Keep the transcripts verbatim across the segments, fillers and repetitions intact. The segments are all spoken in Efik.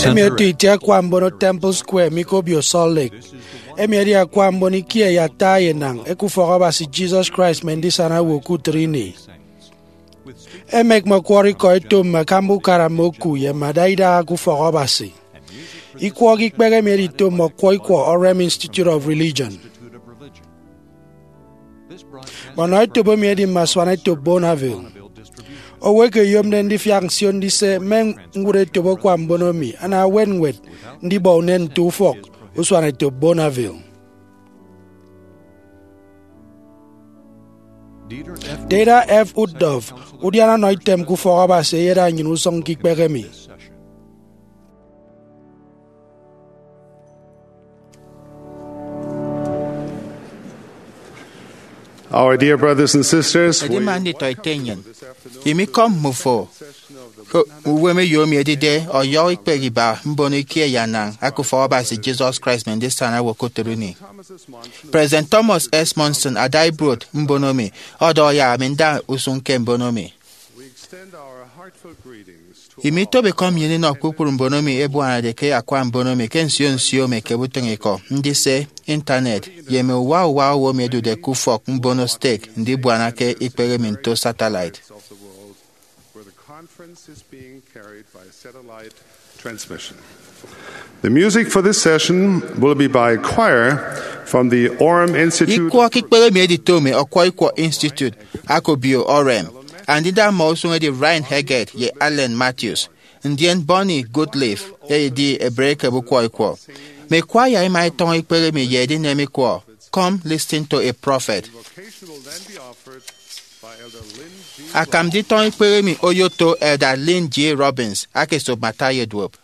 Emi otu itie akwa mbono Temple Square mi ke obio Salt Lake. Emi edi akwa mbono ikie ye ata ye enañ eke Ufọk Abasi Jesus Christ Mme Ndisana Owo ke Utịt Ini. Emek mme ọkwọrọ ikọ eto mme akamba ukara mme oku ye mme adaidaha ke Ufọk Abasi. Ikwọọk ikpehe emi edito mme ọkwọ ikwọ Orem Institute of Religion. Mme ọnọ etop emi edi mme asuanetop Bonneville. Owo eke eyomde ndifiak nsio ndise mme ñwụt etop akwa mbono emi ana ewet ñwed ndibọ unen nte ufọk usuanetop Bonneville. Dieter F. Uchtdorf, udiana ọnọ item ke Ufọk Abasi, eyeda nnyịn usụñ ke ikpehe emi. Our dear brothers and sisters, we Edima nditọ ete nnyịn, imikọm mmufo ke uwem eyo emi edide ọyọhọ ikpehe iba mbono ikie ye anañ eke Ufọk Abasi Jesus Christ Mme Ndisana Owo ke Utịt Ini. President Thomas S. Monson ada ibuot mbono emi, ọdọhọ yak ami nda usụñ ke mbono emi. Imitobo ikọ nnyịn inọ kpukpru mbono emi ebuanade ke akwa mbono emi ke nsio nsio mme ekebe utịñikọ, ndise, intanet, ye mme uwa uwa owo emi ẹdude ke ufọk mbono stek ndibuana ke ikpehe emi nto satellite. The music for this session will be by choir from the Orem Institute. Ikwọọk ikpehe emi edito mme ọkwọ ikwọ Institute Akobio Orem, andida mmọ usụñ edi Ryan Heggett ye Allen Matthews, ndien Bonnie Goodliffe edi ebre ekebe ukwọ ikwọ. Mme kwaya ima etọñọ ikpehe emi ye edinem ikwọ, Come Listen to a Prophet. Akam nditọñọ ikpehe emi oyoto Elder Lynn G. Robbins, aka esop mme ata ye duop.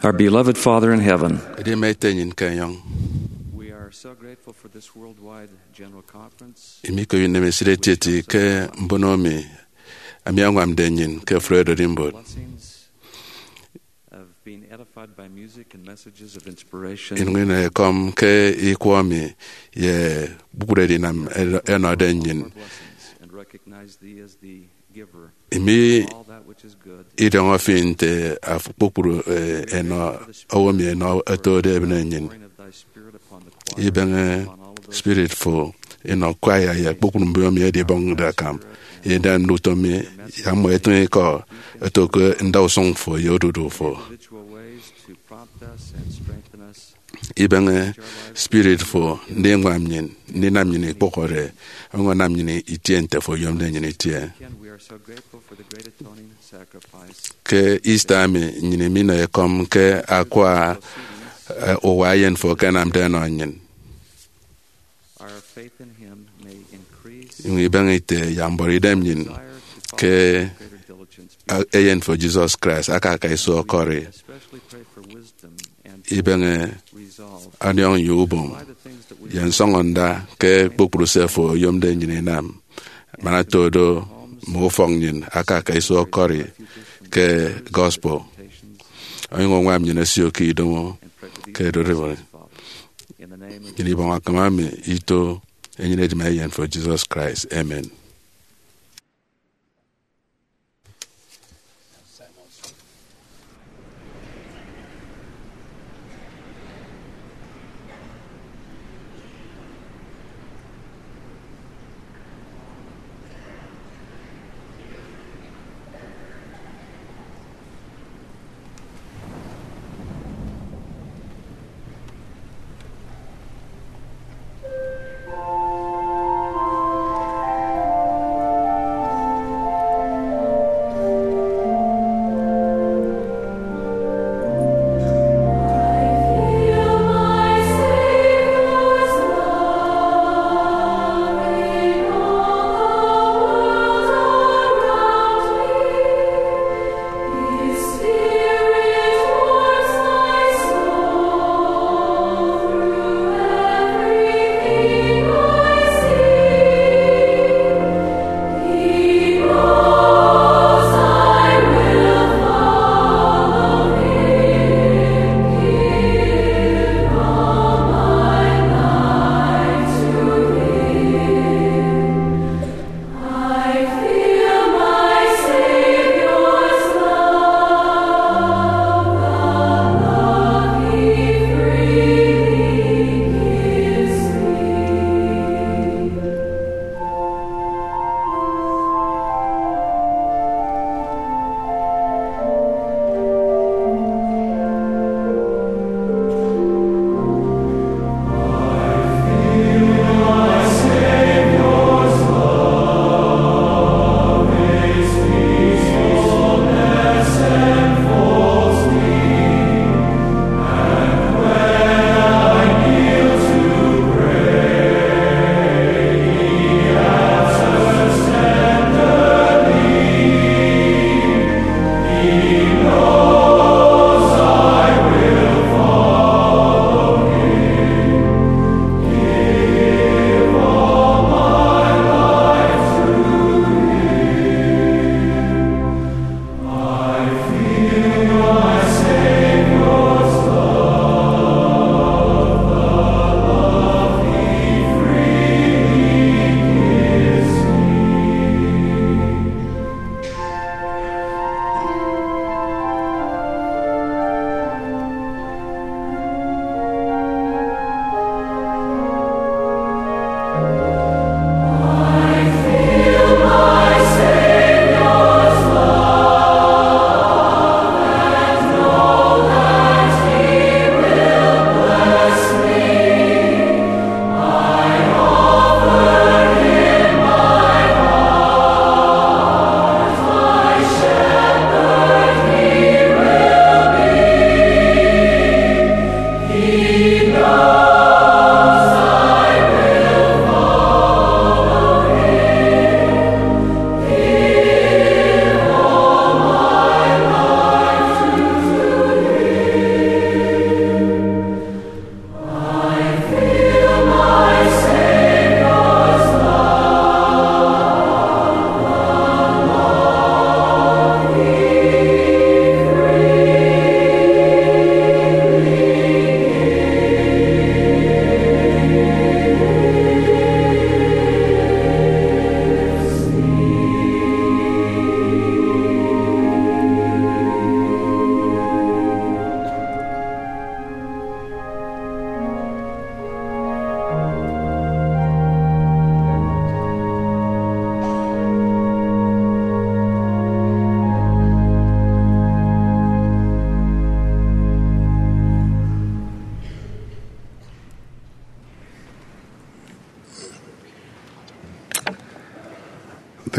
Our beloved Father in heaven, Edi mme Ete nnyịn ke enyọñ, we are so grateful for this worldwide general conference. Imi ke unem esịt etieti ke mbono emi, ami añwamde nnyịn ke Fred Odimbot. Blessings of being edified by music and messages of inspiration. Inọ ekọm ke ikwọ mi ye kpukpru edinam enọde nnyịn. Blessings and recognize thee as the giver. Imi idiọñọ fi nte afo kpukpru, eh, enọ owo mi enọ otode ebịne nnyịn. Ibeñe spirit fo inọ kwaya ye kpukpru mbiomi edibọñde akam. Idem ndutọ mi ya mmọ etịñ ikọ eto ke ndausụñ fo ye odudu fo. Ibeñe spirit fo ndiñwam nnyịn, ndinam nnyịn ikpụhọde, ọñọnam nnyịn itie nte fo oyomde nnyịn itie. Ke Easter emi, nnyịn iminọ ekọm ke akwa, eh, uwa eyen fo akanamde ọnọ nnyịn. Inyụñ ibeñe ite yak mbuọtidem nnyịn ke, eh, eyen fo Jesus Christ aka aka iso ọkọri. Ibeñe ọniọñ ye ubom ye nsọñọnda ke kpukpru se fo oyomde nnyịn inam, man ata do mme ufọk nnyịn aka aka iso ọkọri ke gospel. Onyụñ añwam nnyịn osio ke idomo ke delivery. Nnyịn ibọñ akam emi ito enyịn edima eyen fo Jesus Christ. Amen.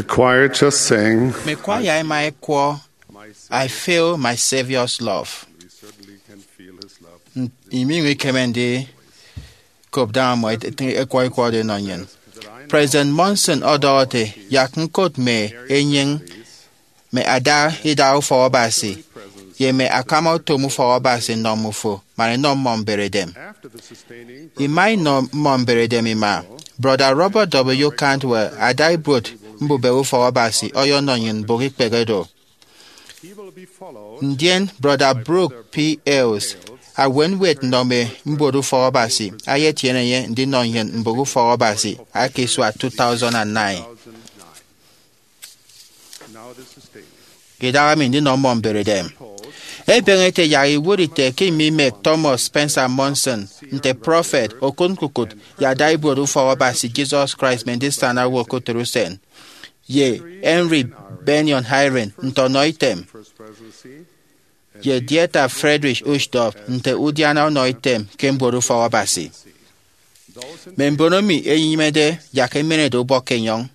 Choir just sang, Mme kwaya ẹma ẹkwọ, "I Feel My Savior's Love." N- iminyụñ ikeme ndikop daña mmọ ẹt- ẹt- ẹkwọ ikwọ oro ẹnọ nnyịn. President Monson ọdọhọ ete, "Yak ñkot mme enyịñ, mme ada idaha ufọk Abasi, ye mme akama utom ufọk Abasi nnọ mmufo, man ẹnọ mmọ mberedem." Ima inọ mmọ mberedem ima. Brọda Robert W. Cantwell, ada ibuot mbubehe ufọk Abasi, ọyọnọ nnyịn mbụk ikpehe do. Ndien Brọda Brooke P. Hales, awenwet nnọ mme mbuot ufọk Abasi, ayetiene enye ndinọ nnyịn mbụk ufọk Abasi aka isua two thousand and nine. Idaha emi ndinọ mmọ mberedem ebeñe ete yak iwụt ite ke imimek Thomas Spencer Monson nte prọfet, okụtñkukụt, ye ada ibuot ufọk Abasi Jesus Christ mme ndisana owo ke utịt usen, ye Henry Bennion Eyring nte ọnọitem, ye Dieter Friedrich Uchtdorf nte udiana ọnọitem ke mbuot ufọk Abasi. Mme mbon emi ẹnyịmede, yak ẹmenede ubọk ke enyọñ.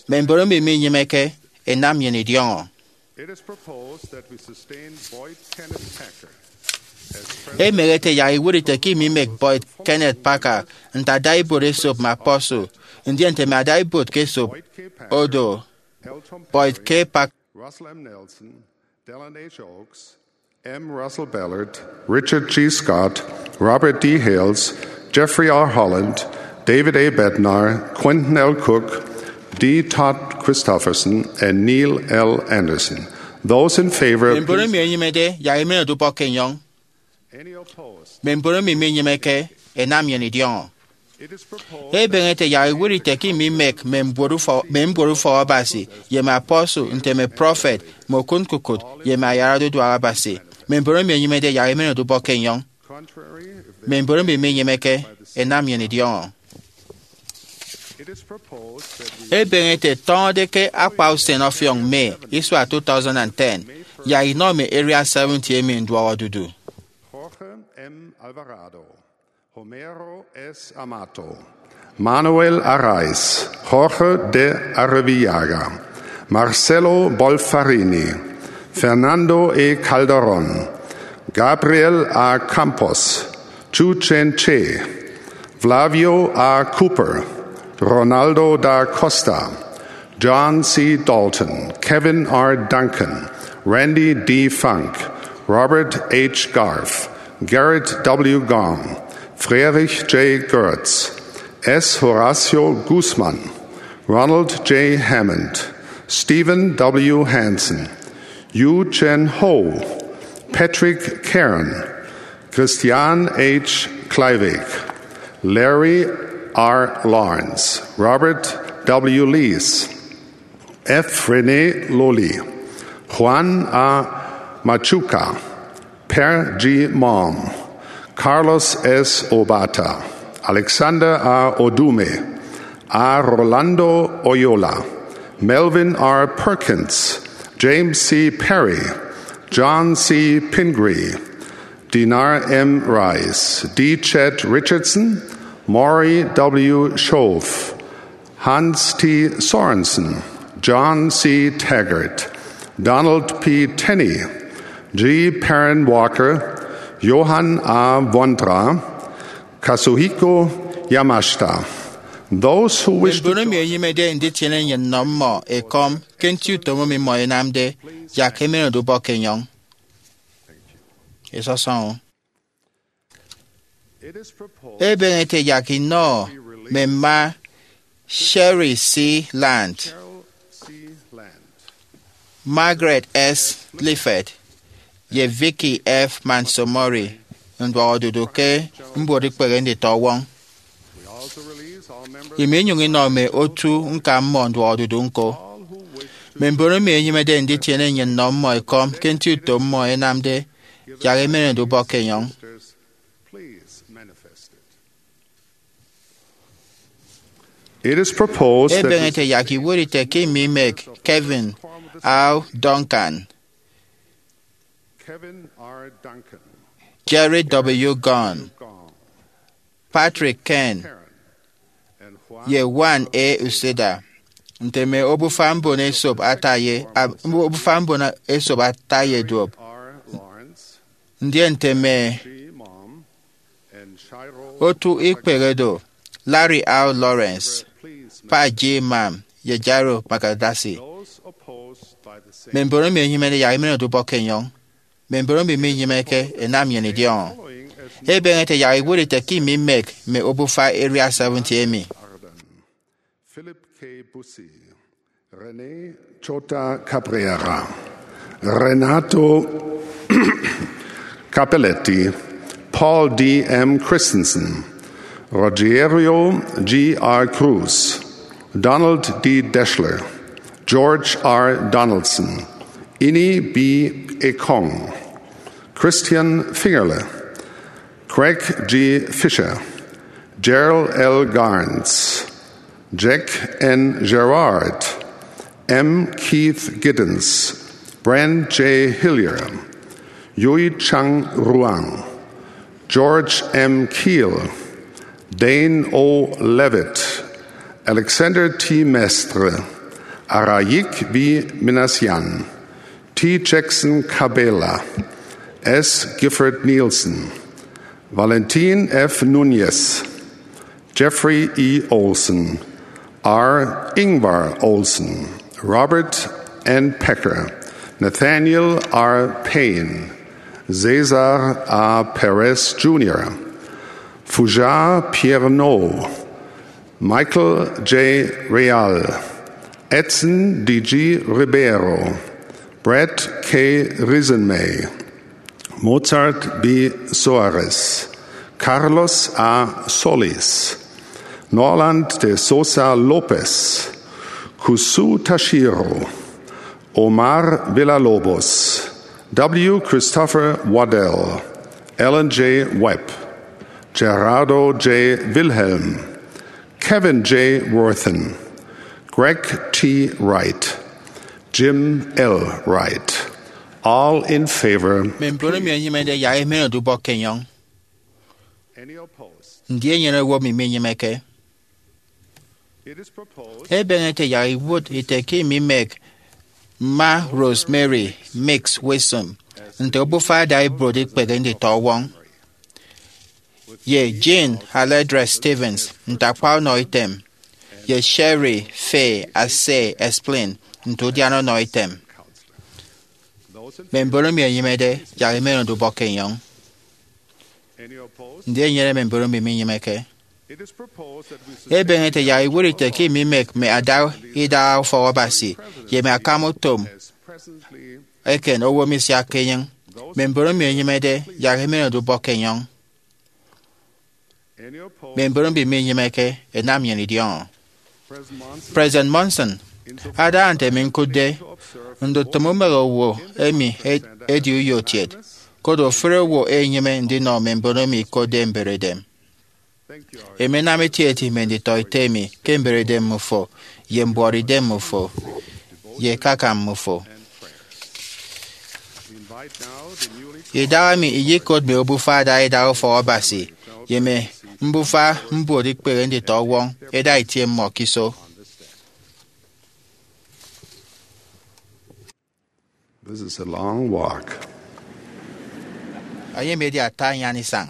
Mme mbon emi minyịmeke, ẹnam nnyịn idiọñọ. Emeñe ete yak iwụt ite ke imimek Boyd Kenneth Packer nte ada ibuot esop mme apostle, ndien nte mme ada ibuot ke esop odo, Boyd K. Packer, Russell M. Nelson, Dallin H. Oaks, M. Russell Ballard, Richard G. Scott, Robert D. Hales, Jeffrey R. Holland, David A. Bednar, Quentin L. Cook, D. Todd Christofferson, and Neil L. Andersen. Those in favor, Mme mbon emi ẹnyịmede, yak ẹmenede ubọk ke enyọñ. Mme mbon emi minyịmeke, ẹnam nnyịn idiọñọ. Ebeñe ete yak iwụt ite ke imimek mme mbuot ufọ- mme mbuot ufọk Abasi, ye mme apostle, nte mme prọfet, mme okụtñkukụt, ye mme ayarade uduak Abasi. Mme mbon emi ẹnyịmede, yak ẹmenede ubọk ke enyọñ. Mme mbon emi minyịmeke, ẹnam nnyịn idiọñọ. Ebeñe ete tọñọde ke akpa usen ọfiọñ May isua two thousand and ten, yak inọ mme Area seventy emi nduọk odudu. Jorge M. Alvarado, Homero S. Amato, Manuel Araiz, Jorge de Arrivillaga, Marcelo Bolfarini, Fernando E. Calderón, Gabriel A. Campos, Chu Chen Che, Flavio A. Cooper, Ronaldo da Costa, John C. Dalton, Kevin R. Duncan, Randy D. Funk, Robert H. Garf, Gerrit W. Gong, Friedrich J. Goertz, S. Horacio Guzman, Ronald J. Hammond, Stephen W. Hansen, Yu Chen Ho, Patrick Karen, Christian H. Kleiweg, Larry R. Lawrence, Robert W. Lees, F. Rene Loli, Juan A. Machuca, Per G. Malm, Carlos S. Obata, Alexander A. Odume, A. Rolando Oyola, Melvin R. Perkins, James C. Perry, John C. Pingree, Dinar M. Rice, D. Chet Richardson, Maury W. Schoaf, Hans T. Sorensen, John C. Taggart, Donald P. Tenney, G. Perrin Walker, Johan A. Vondra, Kazuhiko Yamashita. Those who wish to Mbon emi enyịmede nditiene nnyịn nnọ mmọ ekọm ke nti utom emi mmọ ẹnamde, yak ẹmenede ubọk ke enyọñ. Isọsọñọ. Ebeñe ete yak inọ mme mma Sherry C. Land, Margaret S. Lifford, ye Vicky F. Mansomori nduọk odudu ke mbuot ikpehe nditọ ọwọñ. Iminyụñ inọ mme otu ñka mmọ nduọk odudu ñko. Mme mbon emi enyịmede nditiene nnyịn nnọ mmọ ekọm ke nti utom mmọ ẹnamde, yak ẹmenede ubọk ke enyọñ. It is proposed that Ebeñe ete yak iwụt ite ke imimek Kevin R. Duncan, Kevin R. Duncan, Jerry W. Gong, Patrick Kern, and Juan ye Juan A. Uceda. nte mme obufa mbon esop ata ye, ab-, obufa mbon esop ata ye duop, ndien nte mme otu ikpehe do, Larry R. Lawrence, Pa G. Mam, ye Jairo Magadasi. Mme mbon emi ẹnyịmede yak ẹmenede ubọk ke enyọñ. Mme mbon emi minyịmeke, ẹnam nnyịn idiọñọ. Ebeñe ete yak iwụt ite ke imimek mme obufa Area seventy emi. Philip K. Busi, Rene Chota Cabrera, Renato Capelletti, Paul D. M. Christensen, Rogerio G. R. Cruz, Donald D. Deshler, George R. Donaldson, Ini B. Ekong, Christian Fingerle, Craig G. Fisher, Gerald L. Garns, Jack N. Gerard, M. Keith Giddens, Brent J. Hillier, Yui Chang Ruang, George M. Keel, Dane O. Levitt, Alexander T. Mestre, Arayik V. Minassian, T. Jackson Cabela, S. Gifford Nielsen, Valentin F. Nunez, Jeffrey E. Olson, R. Ingvar Olson, Robert N. Pecker, Nathaniel R. Payne, Cesar A. Perez Junior, Fujar Pierno, Michael J. Real, Edson D. G. Ribeiro, Brett K. Risenmay, Mozart B. Soares, Carlos A. Solis, Norland de Sosa Lopez, Kusu Tashiro, Omar Villalobos, W. Christopher Waddell, Ellen J. Webb, Gerardo J. Wilhelm, Kevin J. Worthen, Greg T. Wright, Jim L. Wright, all in favor. Mme mbon emi ẹnyịmede yak ẹmenede ubọk ke enyọñ. Ndi enyene owo emi minyịmeke? Ebeñe ete yak iwụt ite ke imimek Mma Rosemary Mix Wixom nte obufa adaibuot ikpehe nditọwọñ, ye Jean Aledra Stevens nte akpa ọnọ item, ye Sherry Faye Asay Esplin nte udiana ọnọ item. Mme mbon emi ẹnyịmede yak ẹmenede ubọk ke enyọñ. Ndi enyene mme mbon emi minyịmeke? Ebeñe ete yak iwụt ite ke imimek mme ada idaha ufọk Abasi ye mme akam utom eken owo misiakke enyịñ. Mme mbon emi ẹnyịmede yak ẹmenede ubọk ke enyọñ. Mme mbon emi minyịmeke, ẹnam nnyịn idiọñọ. President Monson, ada nte emi ñkụtde, ndutịm umehe owo emi e- edi uyotiet, koro ofụri owo enyịme ndinọ mme mbon emi ikotde mberedem. Emi anam etieti mme nditọete emi ke mberedem mmufo, ye mbuọtidem mmufo, ye ekaka mmufo. Idahaemi iyekot mme obufa ada idaha ufọk Abasi ye mme mbufa mbuot ikpehe nditọwọñ eda itie mmọ ke iso. This is a long walk. Ẹyem edi ata anyan isañ.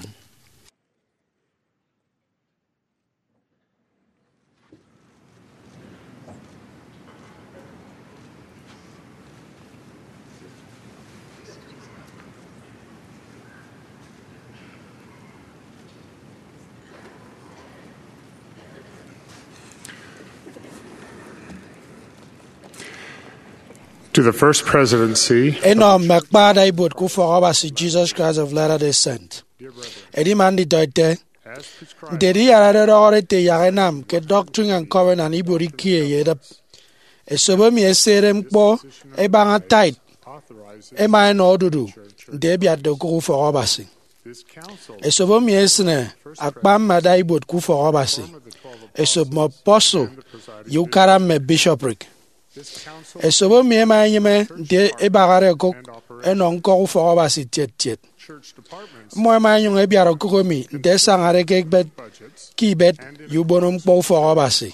To the First Presidency. Enọ mme akpa ada ibuot ke Ufọk Abasi Jesus Christ of Latter-day Saint. Edima nditọete, nte ediyarade ọdọhọde ete yak ẹnam ke Doctrine and Covenant ibuot ikie ye edịp, esop emi esede ñkpọ ẹbaña tithe ẹma ẹnọ odudu nte ẹbiatde okụk ufọk Abasi. Esop emi esịne akpa mme ada ibuot ke ufọk Abasi, esop mme apostle, ye ukara mme bishopric. Esop emi ẹma ẹnyịme nte ẹbahade ẹkụk ẹnọ ñkọk ufọk Abasi tiet tiet. Mmọ ẹma ẹnyụñ ẹbiat okụk emi nte ẹsañade ke ekpet ke ibet ye ubono ñkpọ ufọk Abasi.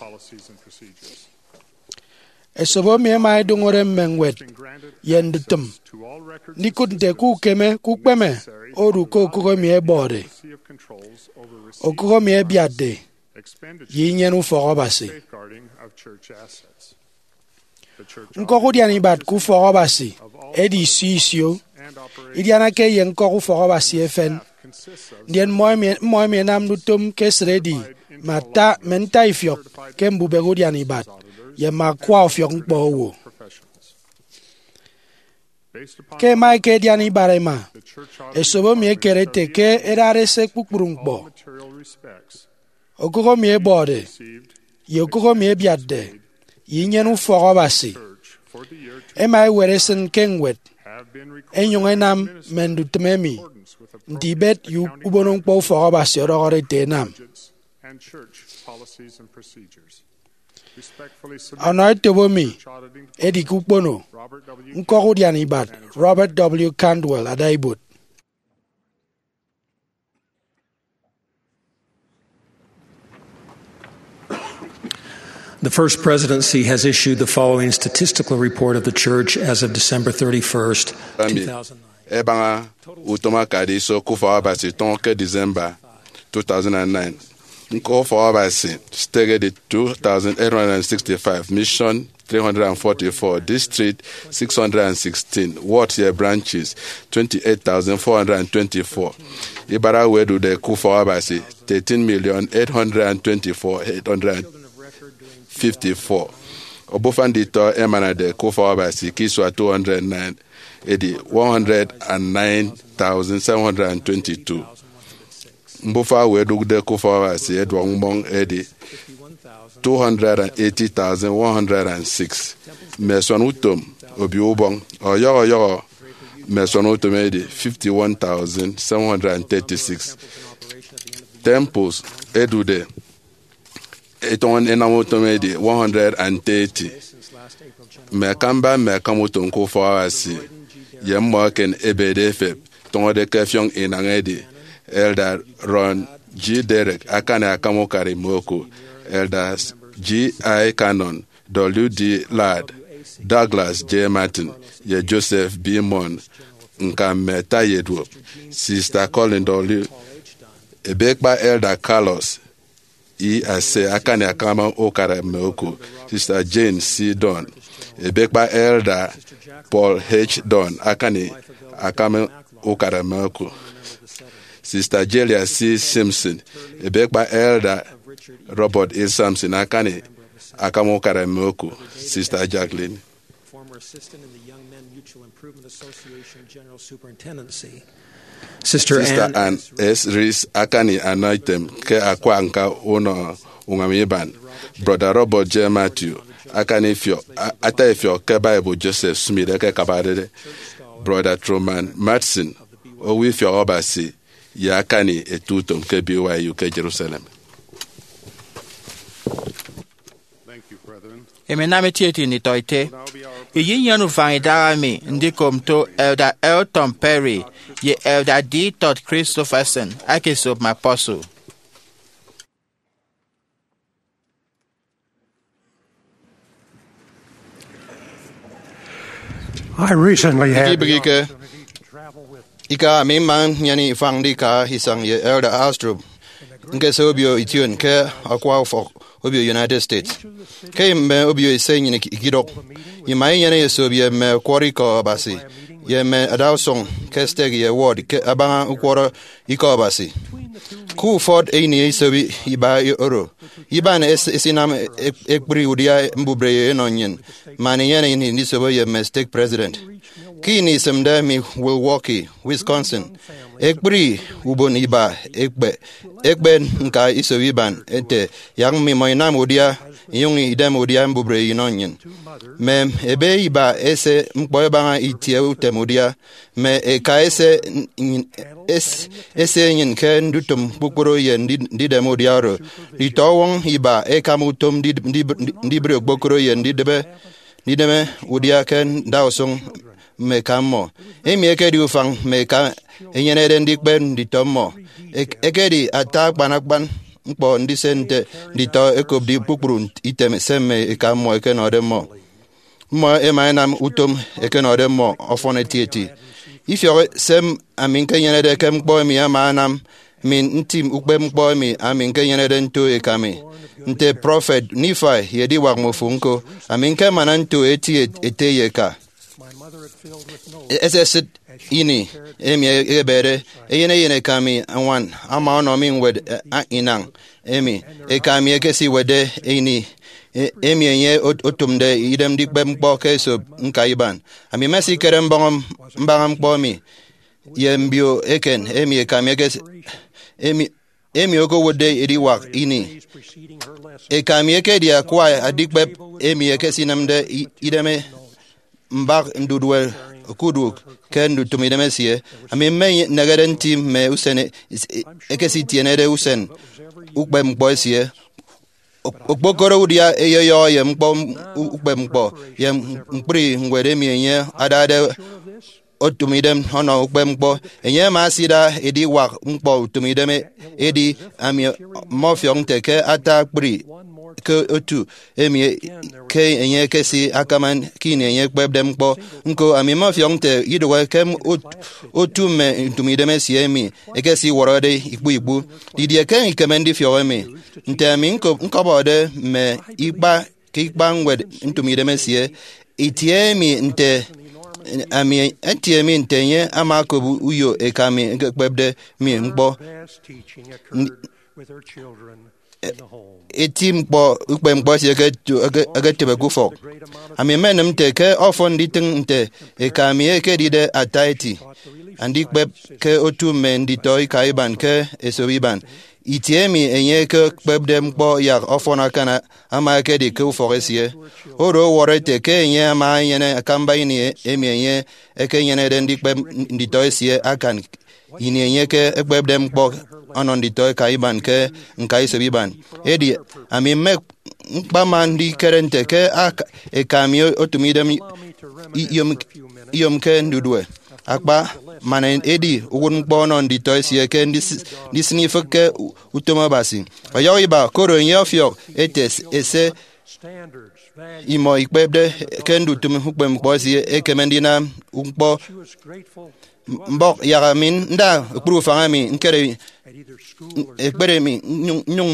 Esop emi ẹma ẹdụñọre mme ñwed ye ndutịm ndikụt nte ke ukeme ke ukpeme odu ke okụk emi ẹbọde, okụk emi ẹbiatde, ye inyene ufọk Abasi. Ñkọk udian ibat ke ufọk Abasi edi isio isio. Idianake ye ñkọk ufọk Abasi efen, ndien mmọ emi, mmọ emi ẹnamde utom ke esịt edi mme ata, mme ntaifiọk ke mbubehe udian ibat ye mme akwa ọfiọk ñkpọ owo. Ke ẹma ẹkedian ibat ẹma, esop emi ekere ete ke ẹdade ẹse kpukpru ñkpọ, okụk emi ẹbọde, ye okụk emi ẹbiatde, ye inyene ufọk Abasi, ẹma ẹwet ẹsịn ke ñwed, ẹnyụñ ẹnam mme ndutịm emi nte ibet ye ubonoñkpọ ufọk Abasi ọdọhọde ete ẹnam. Ọnọ etop emi edi ke ukpono ñkọk udian ibat Robert W. Cantwell ada ibuot. The First Presidency has issued the following statistical report of the Church as of December thirty-first, Ami two thousand nine. Ẹbaña utom akade iso ke ufọk Abasi tọñọ ke December two thousand nine. Ñkọk ufọk Abasi, stake edi two thousand eight hundred sixty-five, mission three hundred forty-four, district six hundred sixteen, wards ye branches twenty-eight thousand four hundred twenty-four. Ibat owo ẹdude ke ufọk Abasi, thirteen million eight hundred twenty-four eight hundred fifty-four. Obufa nditọ ẹmanade ke ufọk Abasi ke isua two hundred nine edi one hundred and nine thousand seven hundred twenty-two. Mbufa owo ẹdụkde ke ufọk Abasi ẹduọk mmọñ edi two hundred and eighty thousand one hundred and six. Mme ẹsuan utom Obio Ubọñ ọyọhọ ọyọhọ mme ẹsuan utom edi fifty-one thousand seven hundred and thirty-six. Temples ẹdude ẹtọñọ ẹnam utom edi one hundred and thirty. Mme akamba mme akam utom ke ufọk Abasi ye mmọ eken ẹbede ẹfep tọñọde ke ẹfiọñ inañ edi Elder Ron G. Derek, akani akam ukara mme oku, Elder G. I. Cannon, W. D. Ladd, Douglas J. Martin, ye Joseph B. Munn, ñka mme ata ye duop, Sister Colin W. Ebekpa Elder Carlos E. Asay, akani akam ukara mme oku, Sister Jane C. Dunn. Ebekpa Elder Paul H. Dunn, akani akam ukara mme oku, Sister Jelia C. Simpson. Ebekpa Elder Robert E. Sampson, akani akam ukara mme oku, Sister Jacqueline. Former assistant in the Young Men Mutual Improvement Association General Superintendency. Sister Ann S. Reese, akani anọ item ke akwa ñka unọ uñwam iban. Brother Robert J. Matthew, akani ifiọk, a-, ata ifiọk ke Bible Joseph Smith ekekabade. Brother Truman Madsen, owo ifiọk Abasi ye akani ete utom ke B Y U ke Jerusalem. Emi anam etieti nditọete. Iyinyene ufañ idaha mi ndikop nto Elder Elton Perry ye Elder D. Todd Christofferson aka esop mme apostle. I recently had the Ikibịghike. Ika ami mma nnyene ifañ ndika isañ ye Elder Astrup, ñkese obio ition ke akwa ufọk obio United States. Ke mme obio ise nnyịn iki-, ikidụk, ima inyene esop ye mme ọkwọrọ ikọ Abasi, ye mme adausụñ ke stake ye ward ke abaña ukwọrọ ikọ Abasi. Ke ufọt ini esop iba oro, iban es-, esinam ek-, ekpri udia mbubreyo enọ nnyịn, man inyene ini ndisobo ye mme stake president. Ke ini isịmde mi Milwaukee, Wisconsin, ekpri ubon iba ekpe, ekpe ñka isop iban ete, yak mmimọ inam udia, inyụñ idem udia mbubreyo inọ nnyịn. Mme ebe iba ese ñkpọ ẹbaña itie utem udia, mme eka ese nnyịn, es-, ese enyịn ke ndutịm kpukpru ye ndi-, ndidem udia oro. Nditọwọñ iba ẹkam utom ndi-, ndi-, ndi-, ndibre okpokoro ye ndidịbe, ndideme udia ke ndausụñ mme eka mmọ. Emi ekedi ufañ mme eka ẹnyenede ndikpep nditọ mmọ. Ek-, ekedi ata akpan akpan ñkpọ ndise nte nditọ ẹkopde kpukpru item se mme eka mmọ ẹkenọde mmọ. mmọ ẹma ẹnam utom ẹkenọde mmọ ọfọn etieti. Ifiọk se ami ñkenyenede ke ñkpọ emi ama anam mi ntim ukpepñkpọ emi ami ñkenyenede nto eka mi. Nte prọfet Nifai ye ediwak mmofo ñko, ami ñkemana nto eti ete ye eka. Esesịt ini emi ebede, eyen eyen eka mi añwan ama ọnọ mi ñwed, eh, inañ emi eka mi ekesiwetde ini, eh, emi enye ot- otụmde idem ndikpep ñkpọ ke esop ñka iban. Ami mmesikere mbọñ mbaña ñkpọ emi ye mbio eken emi eka mi ekes- emi emi okowotde ediwak ini. Eka mi ekedi akwa andikpep emi ekesinemde i- idem mbak ndudue okuduk ke ndutịm idem esie. Ami mmenehede nti mme usen e- ekesitienede usen ukpepñkpọ esie. Okpokoro udia eyeyọ ye ñkpọ ukpepñkpọ ye ñkpri ñwed emi enye adade otụm idem ọnọ ukpepñkpọ. Enye ama asida ediwak ñkpọ utịm idem, edi ami mmọfiọk nte ke ata akpri ke otu emi ke enye ekesi akama ke ini enye ekpepde ñkpọ. Ñko, ami mmọfiọk nte idụhe ke ot- otu mme ntụmidem esie emi ekesiwọrọde ikpu ikpu. Didie ke ikeme ndifiọk emi? Nte ami ñko- ñkọbọde mme ikpa ke ikpa ñwed ntụmidem esie, itie emi nte ami itie emi nte enye ama okop uyo eka mi ekekpepde mi ñkpọ. Eti ñkpọ ukpepñkpọ esie eketu- eke- eketịbe ke ufọk. Ami mmenịm nte ke ọfọn nditịñ nte eka mi ekedide ata eti andikpep ke otu mme nditọ ika iban ke esop iban. Itie emi enye ekekpepde ñkpọ yak ọfọn akan ama ekedi ke ufọk esie. Oro ọwọrọ ete ke enye ama enyene akamba ini emi enye ekenyenede ndikpep nditọ esie akan ini enye ke ekpepde ñkpọ ọnọ nditọ eka iban ke ñka isop iban. Edi ami mme ñkpama ndikere nte ke ak- eka mi otụm idem iyom- iyomke ndudue akpa, man edi uwụtñkpọ ọnọ nditọ esie ke ndis- ndisịn ifịk ke u- utom Abasi. Ọyọhọ iba, koro enye ọfiọk ete ese imọ ikpepde ke ndutịm ukpepñkpọ esie ekeme ndinam ñkpọ mbọk yak ami nda ekpri ufañ emi ñkere ekpere mi nnyụñ nnyụñ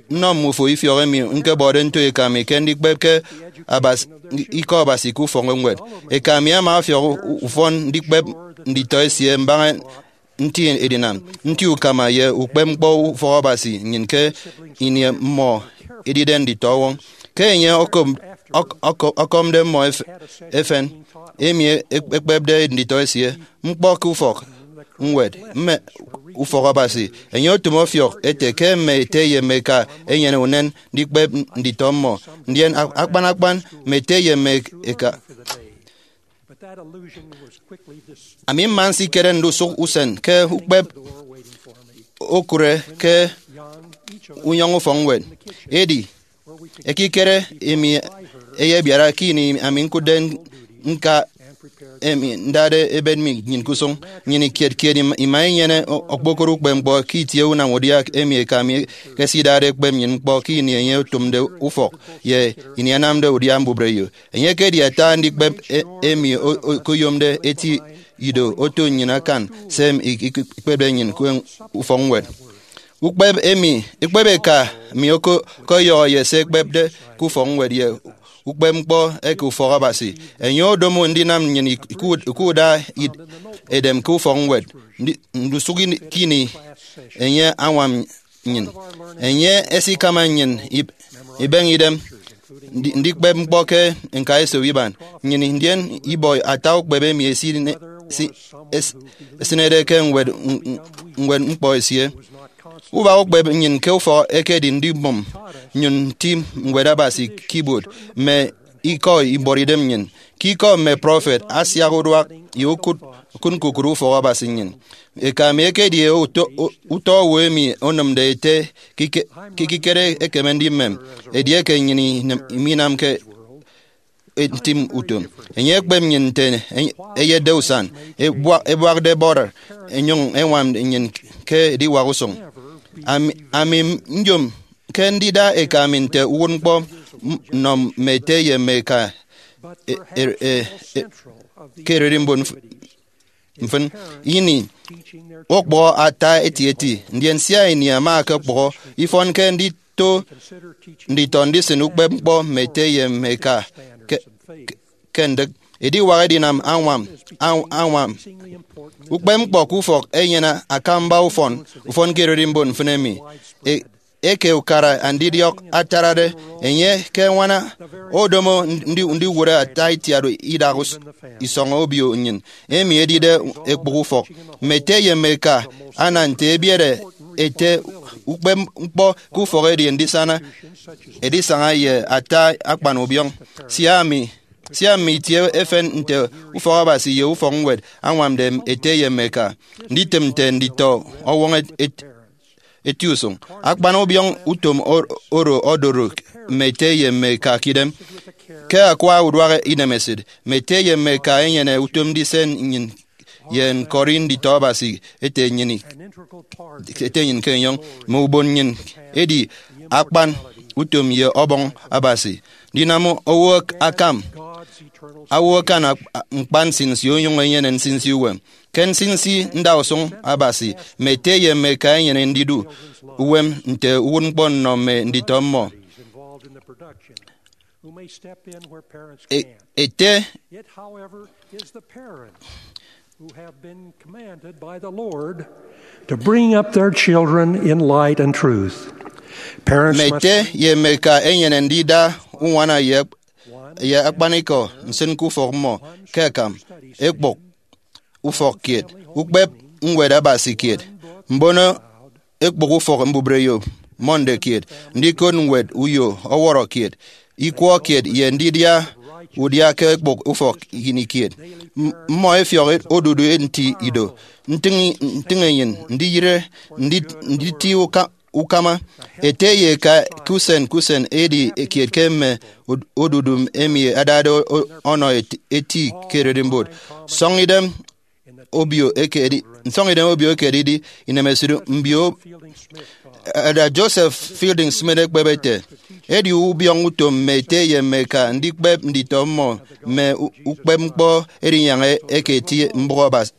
nnọ mmufo ifiọk emi ñkebọde nto eka mi ke ndikpep ke Abasi- ikọ Abasi ke ufọkñwed. Eka mi ama ọfiọk ufọn ndikpep nditọ esie mbaña nti edinam, nti ukama ye ukpepñkpọ ufọk Abasi nnyịn ke ini mmọ edide nditọ ọwọñ. Ke enye ọkọm- ọk- ọk- ọkọmde mmọ ef- efen, emi e- ekpepde nditọ esie ñkpọ ke ufọk ñwed mme ufọk Abasi, enye otụm ọfiọk ete ke mme ete ye mme eka enyene unen ndikpep nditọ mmọ, ndien a- akpan akpan mme ete ye mme eka. Ami mma nsikere ndusụk usen ke ukpep okụre ke unyọñ ufọkñwed. Edi ekikere emi eyebiara ke ini ami ñkụtde ñka emi ndade ebet mi nnyịn ke usụñ. Nnyịn kiet kiet ima- ima inyene o- okpokoro ukpepñkpọ ke itie unam udia emi eka mi ekesidade ekpep nnyịn ñkpọ ke ini enye otụmde ufọk ye ini anamde udia mbubreyo. Enye ekedi ata andikpep e- emi o- o- okoyomde eti ido oto nnyịn akan se emi ik- ik- ikpepde nnyịn ke ufọkñwed. Ukpep emi, ukpep eka mi oko- okọyọhọ ye se ekpepde ke ufọkñwed ye ukpepñkpọ eke ufọk Abasi. Enye odomo ndinam nnyịn ik- ikud- ikuda id- edem ke ufọkñwed. Ndi- ndusụk ini- kini enye añwam nnyịn. Enye esikama nnyịn ib- ibeñe idem ndi- ndikpep ñkpọ ke ñka esop iban nnyịn, ndien ibọ ata ukpep emi esine- si- es- esịnede ke ñwed ñwed ñkpọ esie. Ubak ukpep nnyịn ke ufọk ekedi ndibụm nnyụñ nti ñwed Abasi ke ibuot mme ikọ ibuọt idem nnyịn. Ke ikọ mme prọfet asiak uduak ye ukụt ukụt ñkukụre ufọk Abasi nnyịn. Eka mi ekedi utọ owo emi onịmde ete ke ikikere ekeme ndimem edieke nnyịn minamke ntim utom. Enye ekpep nnyịn nte eyetde usan, ebuakde bọrọ, enyụñ eñwam nnyịn ke ediwak usụñ. Ami nyom ke ndida eka mi nte uwụtñkpọ nnọ mme ete ye mme eka e- e- e- e- ke ererimbot mf- mfịn. Ini okpụhọ ata etieti, ndien sia ini ama ọkpụhọ, ifọnke ndito nditọ ndisịn ukpepñkpọ mme ete ye mme eka ke, ke, ke ndịk. Ediwak edinam añwam, añ- añwam ukpepñkpọ ke ufọk enyene akamba ufọn, ufọn ke ererimbot mfịn emi. E- eke ukara andidiọk atarade, enye ke añwana odomo ndi- ndiwụre ata itiat idak us- isọñ obio nnyịn, emi edide ekpụk ufọk. Mme ete ye mme eka ana nte ebiere ete ukpepñkpọ ke ufọk edi ndisana edisaña ye ata akpan ubiọñ. Sia mi sia mme itie efen nte ufọk Abasi ye ufọk ñwed añwamde ete ye mme eka, nditịm nte nditọ ọwọñ et- et- eti usụñ. Akpan ubiọñ utom o- oro odoro mme ete ye mme eka ke idem. Ke akwa uduak inemesịt, mme ete ye mme eka enyene utom ndise nnyịn ye ñkọri nditọ Abasi ete nnyịn, ete nnyịn ke enyọñ. Mme ubon nnyịn edi akpan utom ye ọbọñ Abasi. Ndinam owo akam, owo akan ak- ñkpa nsinsi onyụñ enyene nsinsi uwem. Ke nsinsi ndausụñ Abasi, mme ete ye mme eka enyene ndidu uwem nte uwụtñkpọ nnọ mme nditọ mmọ. E- ete It, however, is the parents who have been commanded by the Lord to bring up their children in light and truth. Parents mme must ete ye mme eka enyene ndida uñwana ye, ye akpanikọ nsịn ke ufọk mmọ, ke akam ekpụk ufọk kiet, ukpep ñwed Abasi kiet, mbono ekpụk ufọk mbubreyo Monday kiet, ndikot ñwed uyo ọwọrọ kiet, ikwọ kiet, ye ndidia udia ke ekpụk ufọk ini kiet. M- mmọ efiọk odudu nti ido, ntịñ, ntịñ enyịn, ndiyịre, ndi- nditi uka- ukama. Ete ye eka ke usen ke usen edi kiet ke mme od- odudu emi adade o- o- ọnọ eti- eti ke ererimbot. Sọñ idem obio eke edi- nsọñ idem obio eke edidi inemesịt mbio. Elder Joseph Fielding Smith ekpep ete, edi ubiọñ utom mme ete ye mme eka ndikpep nditọ mmọ mme u- ukpepñkpọ edinyaña eke eti mbụk Abasi,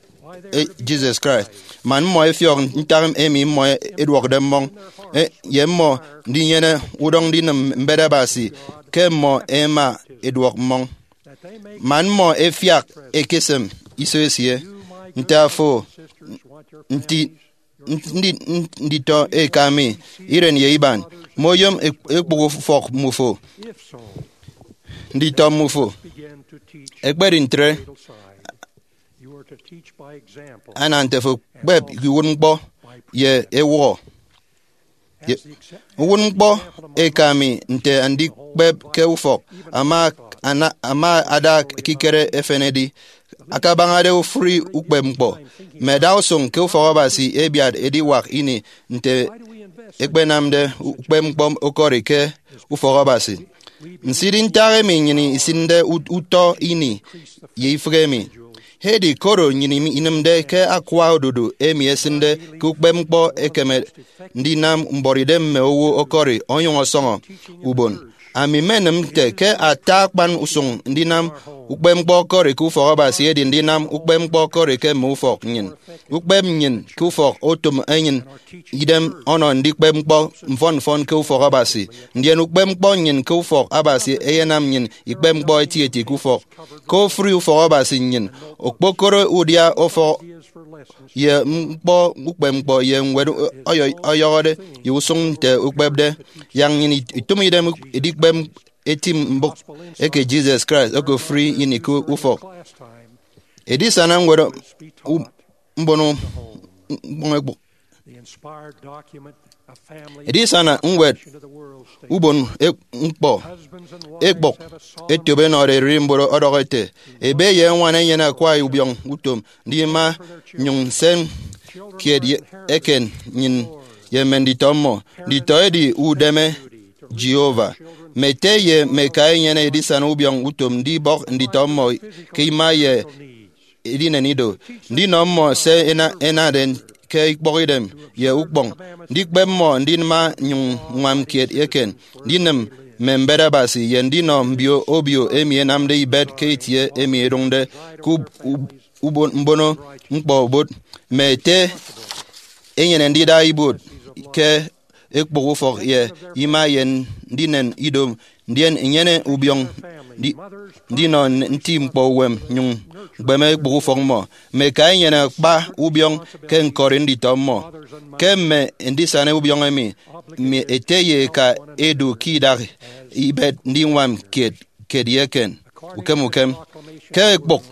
e, Jesus Christ, man mmọ efiọk ntak emi mmọ eduọkde mmọñ, e, ye mmọ ndinyene udọñ ndinịm mbet Abasi ke mmọ ẹma ẹduọk mmọñ, man mmọ ẹfiak ẹkesịm iso esie. Nte afo, nti, ndi- nditọ eka mi, iren ye iban, moyom ek- ekpụk ufọk mmufo, nditọ mmufo. Ekpedi ntre, ana nte fo kpep ke uwụtñkpọ ye ewụhọ. Ye- uwụtñkpọ eka mi nte andikpep ke ufọk ama, ana- ama ada ekikere efen edi akabañade ofụri ukpepñkpọ. Mme adausụñ ke ufọk Abasi ẹbiat ediwak ini nte ẹkpenamde ukpepñkpọ okori ke ufọk Abasi. Nsidi ntak emi nnyịn isịnde ut- utọ ini ye ifịk emi. Edi koro nnyịn im- inịmde ke akwa odudu emi esịnde ke ukpepñkpọ ekeme ndinam mbuọtidem mme owo ọkọri onyụñ ọsọñọ ubon. Ami mmenịm nte ke ata akpan usụñ ndinam ukpepñkpọ ọkọri ke ufọk Abasi edi ndinam ukpepñkpọ ọkọri ke mme ufọk nnyịn. Ukpep nnyịn ke ufọk otom enyịn idem ọnọ ndikpep ñkpọ mfọn mfọn ke ufọk Abasi, ndien ukpep ñkpọ nnyịn ke ufọk Abasi eyenam nnyịn ikpep ñkpọ etieti ke ufọk. Ke ofụri ufọk Abasi nnyịn okpokoro udia ufọk ye ñkpọ ukpep ñkpọ ye ñwed ọyọ- ọyọhọde ye usụñ nte ukpepde. Yak nnyịn itụm idem edikpep eti mbụk eke Jesus Christ okofụri ini ke ufọk. Edisana ñwed u- mbono ñkpọñ ekpụk. Edisana ñwed ubon ek- ñkpọ ekpụk etobe enọde ererimbot ọdọhọ ete, ebe ye añwan enyene akwa ubiọñ utom ndima nyụñ nsen kiet ye- eken nnyịn ye mme nditọ mmọ. Nditọ edi udeme Jehovah. Mme ete ye mme eka enyene edisana ubiọñ utom ndibọk nditọ mmọ ke ima ye edinen ido, ndinọ mmọ se ena- enade ke ikpọkidem ye ukpọñ, ndikpep mmọ ndima nyụñ ññwam kiet eken, ndinịm mme mbet Abasi ye ndinọ mbio obio emi enamde ibet ke itie emi edụñde ke ub- ub- ubon- mbono ñkpọ obot, mme ete enyene ndida ibuot ke ekpụk ufọk ye ima ye ndinen ido, ndien inyene ubiọñ ndi- ndinọ nti ñkpọ uwem nyụñ ñkpeme ekpụk ufọk mmọ. Mme eka enyene akpa ubiọñ ke ñkọri nditọ mmọ. Ke mme ndisana ubiọñ emi, mme ete ye eka edu ke idak ibet ndiñwam kiet kiet ye eken. Ukem ukem, ke ekpụk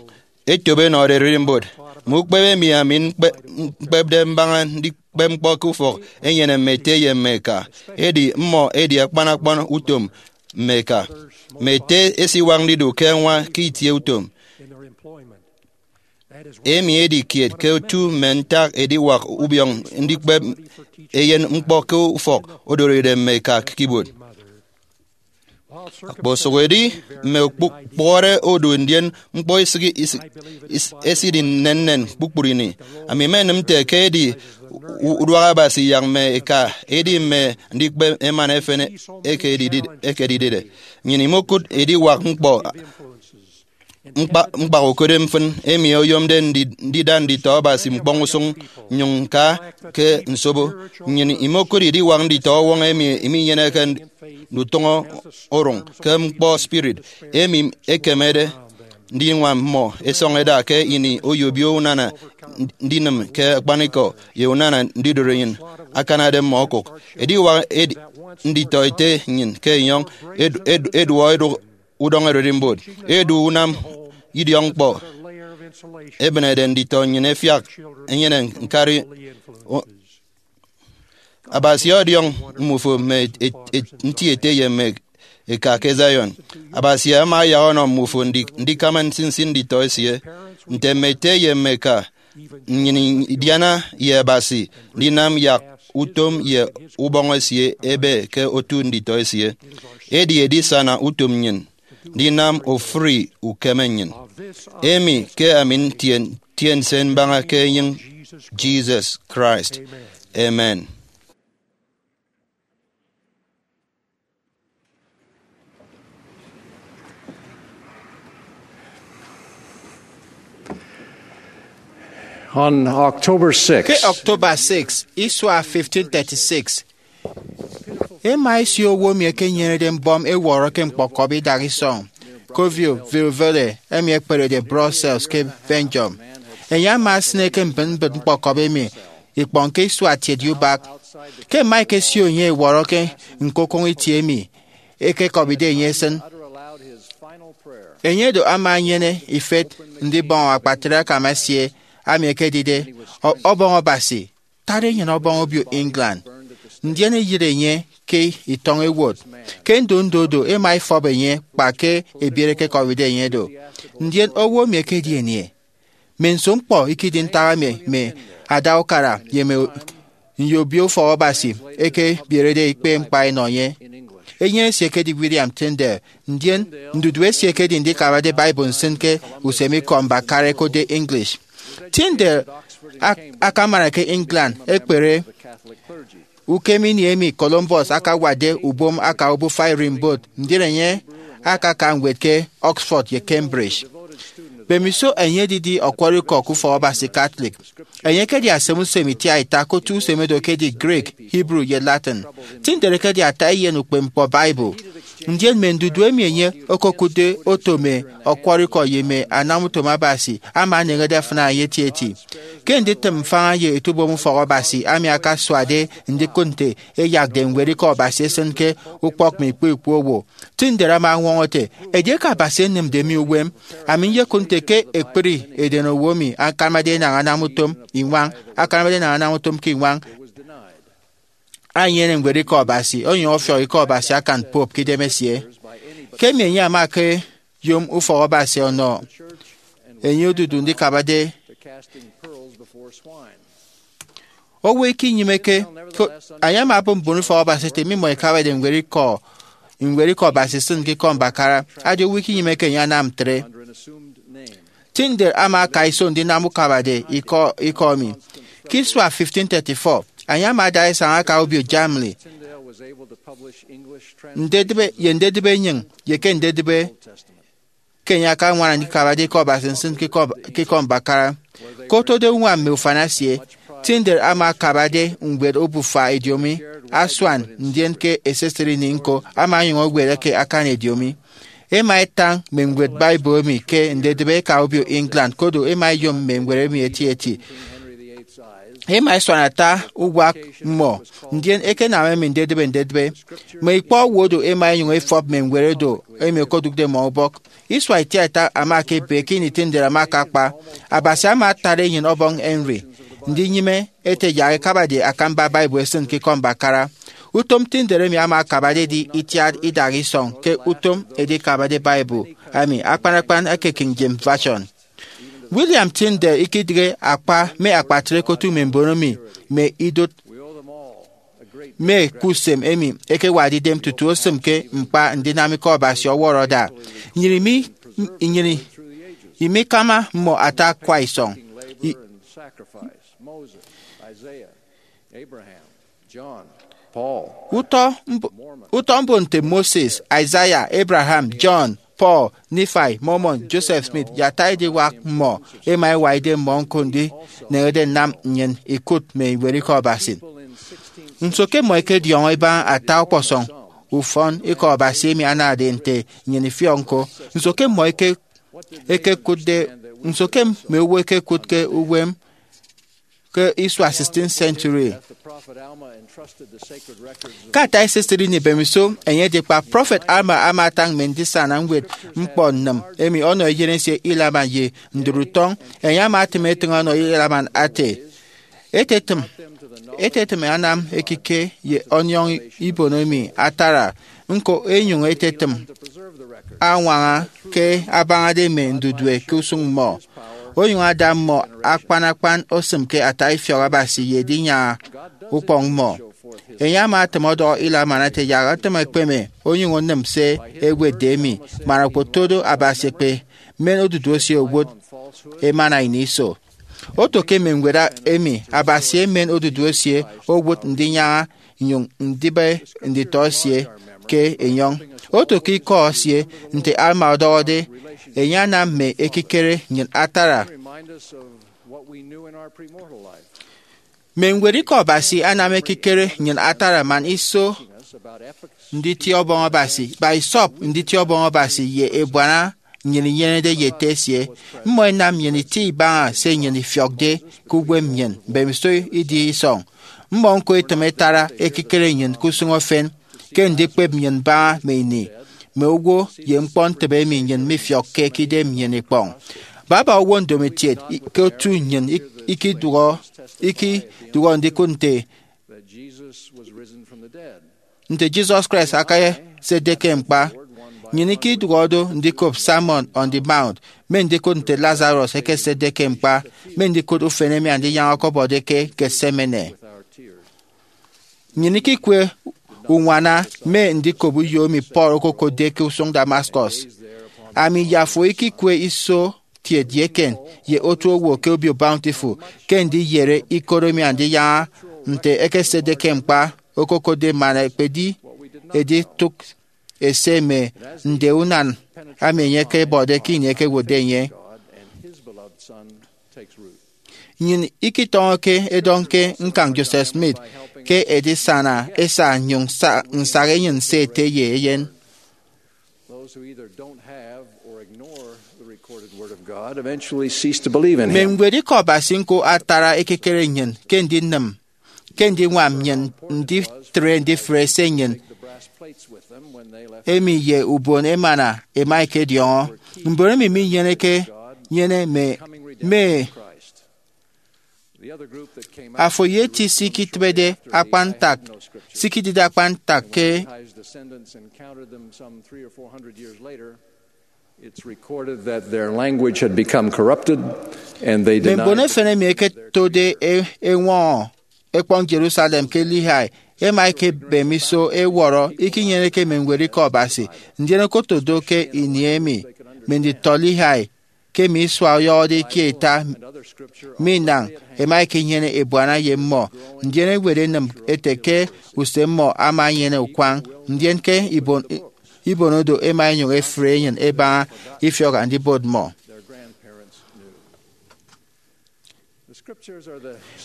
etop enọde ererimbot, mme ukpep emi ami ñkpe- ñkpepde mbaña ndikpep ñkpọ ke ufọk enyene mme ete ye mme eka, edi mmọ edi akpan akpan utom mme eka. Mme ete esiwak ndidu ke añwa ke itie utom. Emi edi kiet ke otu mme ntak ediwak ubiọñ ndikpep eyen ñkpọ ke ufọk odoride mme eka ke ibuot. Okposụkedi mme okpụkpọre odu ndien ñkpọ isịghi- isi- is- esidi nnennen kpukpru ini, ami menịm nte ke edi u- uduak Abasi yak mme eka edi mme andikpep emana efen eke edidi- eke edidide. Nnyịn imokụt ediwak ñkpọ ñkpa- ñkpakokụre mfịn emi oyomde ndi- ndida nditọ Abasi ñkpọñ usụñ nnyụñ ñka ke nsobo. Nnyịn imokụt ediwak nditọ ọwọñ emi minyeneke ndutụñọ orụñ ke ñkpọ spirit emi ekemede ndiñwam mmọ. Esọñ eda ke ini oyobio unana ndinịm ke akpanikọ ye unana ndidoro enyịn akanade mmọ okụk. Ediwak edi- nditọ ete nnyịn ke enyọñ edu- edu- eduọ edụk udọñ ererimbot, edu unam idiọkñkpọ, ebịnede nditọ nnyịn ẹfiak ẹnyene ñkari. O- Abasi ọdiọñ mmufo mme et- et- nti ete ye mme eka ke Zion. Abasi ama ayak ọnọ mmufo ndi- ndikama nsinsi nditọ esie. Nte mme ete ye mme eka, nnyịn idiana ye Abasi ndinam yak utom ye ubọñ esie ebe ke otu nditọ esie. Edi edisana utom nnyịn ndinam ofụri ukeme nnyịn, emi ke ami ntien tiense mbaña ke enyịñ Jesus Christ. Amen. On October sixth, ke October six, isua fifteen thirty-six, ema esie owo emi ekenyenede mbọm ewọrọ ke ñkpọkọbi idak isọñ Covio Virvele emi ekperede Brussels ke Belgium. Enye ama esịne ke mbịt mbịt ñkpọkọbi emi ikpọñ ke isua tiet ye ubak. Ke ẹma ẹkesio enye ẹwọrọ ke ñkokoñ itie emi ekekọbide enye esịn, enye do ama enyene ifet ndibọñ akpatre akam esie ami ekedide ọ- ọbọñ Abasi, tade enyene ọbọñ obio England, ndien eyịre enye ke itọñ ewot. Ke ndondo do, ema efọp enye kpa ke ebiere ekekọbide enye do. Ndien owo emi ekedi anie? Mme nso ñkpọ ikedi ntak emi mme ada ukara ye mme nyobio ufọk Abasi ekebierede ikpe mkpa enọ enye? Enye esie ekedi William Tyndale, ndien ndudu esie ekedi ndikabade Bible nsịn ke usem ikọ mbakara ẹkotde English. Tyndale ak- akamara ke England ekpere ukem ini emi Columbus akawatde ubom aka obufa ererimbot, ndien enye akaka ñwed ke Oxford ye Cambridge. Mbemiso enye edidi ọkwọrọ ikọ ke ufọk Abasi Catholic, enye ekedi asem usem itiaita ke otu usem edo ekedi Greek, Hebrew, ye Latin. Tyndale ekedi ata eyen ukpepñkpọ Bible. Ndien mme ndudu emi enye okokụtde oto mme ọkwọrọ ikọ ye mme anamutom Abasi ama aneñede afịna enye etieti. Ke nditịm mfaña ye etubom ufọk Abasi, ami akasuade ndikụt nte ẹyakde ñwed ikọ Abasi esịn ke ukpọk mme ikpọ ikpọ owo. Tyndale ama añwọñọ ete, edieke Abasi enịmde mi uwem, ami nyekụt nte ke ekpri edenowo emi akanamade enañ anam utom iñwañ, akanamade enañ anam utom ke iñwañ, enyene ñwed ikọ Abasi, onyụñ ọfiọk ikọ Abasi akan Pope ke idem esie. Ke emi enye ama ekeyom ufọk Abasi ọnọ enye odudu ndikabade. Owo ikinyịmeke, ko- enye ama obụp mbon ufọk Abasi ete mmimọ ikabade ñwed ikọ, ñwed ikọ Abasi isịn ke ikọ mbakara. Adi owo ikinyịmeke enye anam ntre. Tyndale ama aka iso ndinam ukabade ikọ ikọ emi. Ke isua fifteen thirty-four, enye ama ada isañ aka obio Germany. ndedịbe ye ndedịbe enyịñ ye ke ndedịbe ke enye akañwana ndikabade Ikọ Abasi nsịn ke Ikọ, ke Ikọ Mbakara. Ke otode uñwam mme ufan esie, Tyndale ama akabade ñwed obufa ediomi asuan, ndien ke esisịt ini ñko ama onyụñ ewet eke akan ediomi. Ema etañ mme ñwed Bible emi ke ndedịbe eka obio England, kodo ema eyom mme ñwed emi etieti. Ema esuan ata uwak mmọ, ndien ekenam emi ndedịbe ndedịbe. Mme ikpọ owo do ema enyụñ efọp mme ñwed edo emi okodụkde mmọ ubọk. Isua itiaita ama ke ebe ke ini Tyndale ama akakpa, Abasi ama atari enyịn ọbọñ Henry ndinyịme ete yak ekabade akamba Bible esịn ke Ikọ Mbakara. Utom Tyndale emi ama akabade edi itiat idaha isọñ ke utom edikabade Bible emi, akpan akpan eke King James Version. William Tyndale ikidịghe akpa mme akpatre ke otu mme mbon emi mme idụt mme ke usem emi ẹkewakde idem tutu osịm ke ñkpa ndinam Ikọ Abasi ọwọrọ ada. Nnyịn imi, nnyịn imikama mmọ ata akwa isọñ. I- Utọ mb- utọ mbon nte Moses, Isaiah, Abraham, John, Paul, Nephi, Mormon, Joseph Smith, ye ata ediwak mmọ ema ewa idem mmọ ñko ndineñede nnam nnyịn ikụt mme iñwed Ikọ Abasi. Nso ke mmọ ẹkediọñọ ibaña ata ọkpọsọñ ufọn Ikọ Abasi emi anade nte nnyịn ifiọk ñko? Nso ke mmọ eke- ekekụtde, nso ke mme owo ẹkekụt ke uwem ke isua sixteenth century? Ke ata esisịt ini mbemiso enye edikpa, prọfet Alma ama atañ mme ndisana ñwed ñkpọ nnịm emi ọnọ eyen esie Helaman ye ndụt utọñ. Enye ama atịm etịñ ọnọ Helaman ate, etetịm etetịm anam ekike ye ọniọñ ibon emi atara, ñko enyụñ etetịm añwaña ke abañade mme ndudue ke usụñ mmọ, onyụñ ada mmọ akpan akpan osịm ke ata ifiọk Abasi ye edinyaña ukpọñ mmọ. Enye ama atịm ọdọhọ Helaman ete yak atịm ekpeme onyụñ onịm se ewetde emi, man okpotodo Abasi ekpe men odudu esie owụt emana ini iso. Oto ke mme ñwed emi Abasi emen odudu esie owụt ndinyaña nnyụñ ndịbe nditọ esie ke enyọñ. Oto ke ikọ esie, nte Alma ọdọhọde, enye anam mme ekikere nnyịn atara. Mme ñwed Ikọ Abasi anam ekikere nnyịn atara man iso nditie Ọbọñ Abasi, man isọp nditie Ọbọñ Abasi ye ebuana nnyịn inyenede ye Ete esie. Mmọ ẹnam nnyịn itie ibaña se nnyịn ifiọkde ke uwem nnyịn mbemiso idi isọñ. Mmọ ñko ẹtịm ẹtara ekikere nnyịn ke usụñ efen, ke ndikpep nnyịn mbaña mme ini, mme owo, ye ñkpọ ntịbe emi nnyịn mifiọkke ke idem nnyịn ikpọñ. Baba owo ndomokiet i- ke otu nnyịn ik- ikidụhọ ikidụhọ ndikụt nte nte Jesus Christ akasetde ke ñkpa. Nnyịn ikidụhọ do ndikop Sermon on the Mount, mme ndikụt nte Lazarus ekesetde ke ñkpa, mme ndikụt ufen emi Andinyaña ọkọbọde ke Gethsemane. Nnyịn ikikwe uñwana mme ndikop uyo emi Paul okokotde ke usụñ Damascus. Ami ye afo ikikwe iso kiet ye eken ye otu owo ke obio Bountiful ke ndiyere ikot emi Andinyaña nte ekesetde ke ñkpa okokotde man ekpedi editụk ese mme nde unan emi enye ekebọde ke ini ekewotde enye. Nnyịn ikitọñọke edọñ ke ñkañ Joseph Smith ke edisana esa nnyụñ sa- nsaha enyịn se ete ye eyen. Those who either don't have or ignore the recorded Word of God eventually cease to believe in Mme Him. Ñwed Ikọ Abasi ñko atara ekikere nnyịn ke ndinịm, ke ndiñwam nnyịn nditre ndifre se nnyịn emi ye ubon emana ema ẹkediọñọ. Mbon emi minyeneke nyene mme, mme afo ye eti sikitịbede akpan ntak, sikidide akpan ntak ke It's recorded that their language had become corrupted and they mme mbon denied efen emi ẹketode e- eñwọñọ ekpọñ Jerusalem ke Lehi, ema ekebem iso ewọrọ ikinyeneke mme Ñwed Ikọ Abasi. Ndien okoto do ke ini emi mme nditọ Lehi ke mme isua ọyọhọde ikie ita minañ ẹma ẹkenyene ebuana ye mmọ, ndien ewet enịm ete ke use mmọ ama enyene ukwañ, ndien ke ibon, ibonodo ẹma ẹnyụñ ẹfre enyịn ẹbaña ifiọk Andibot mmọ.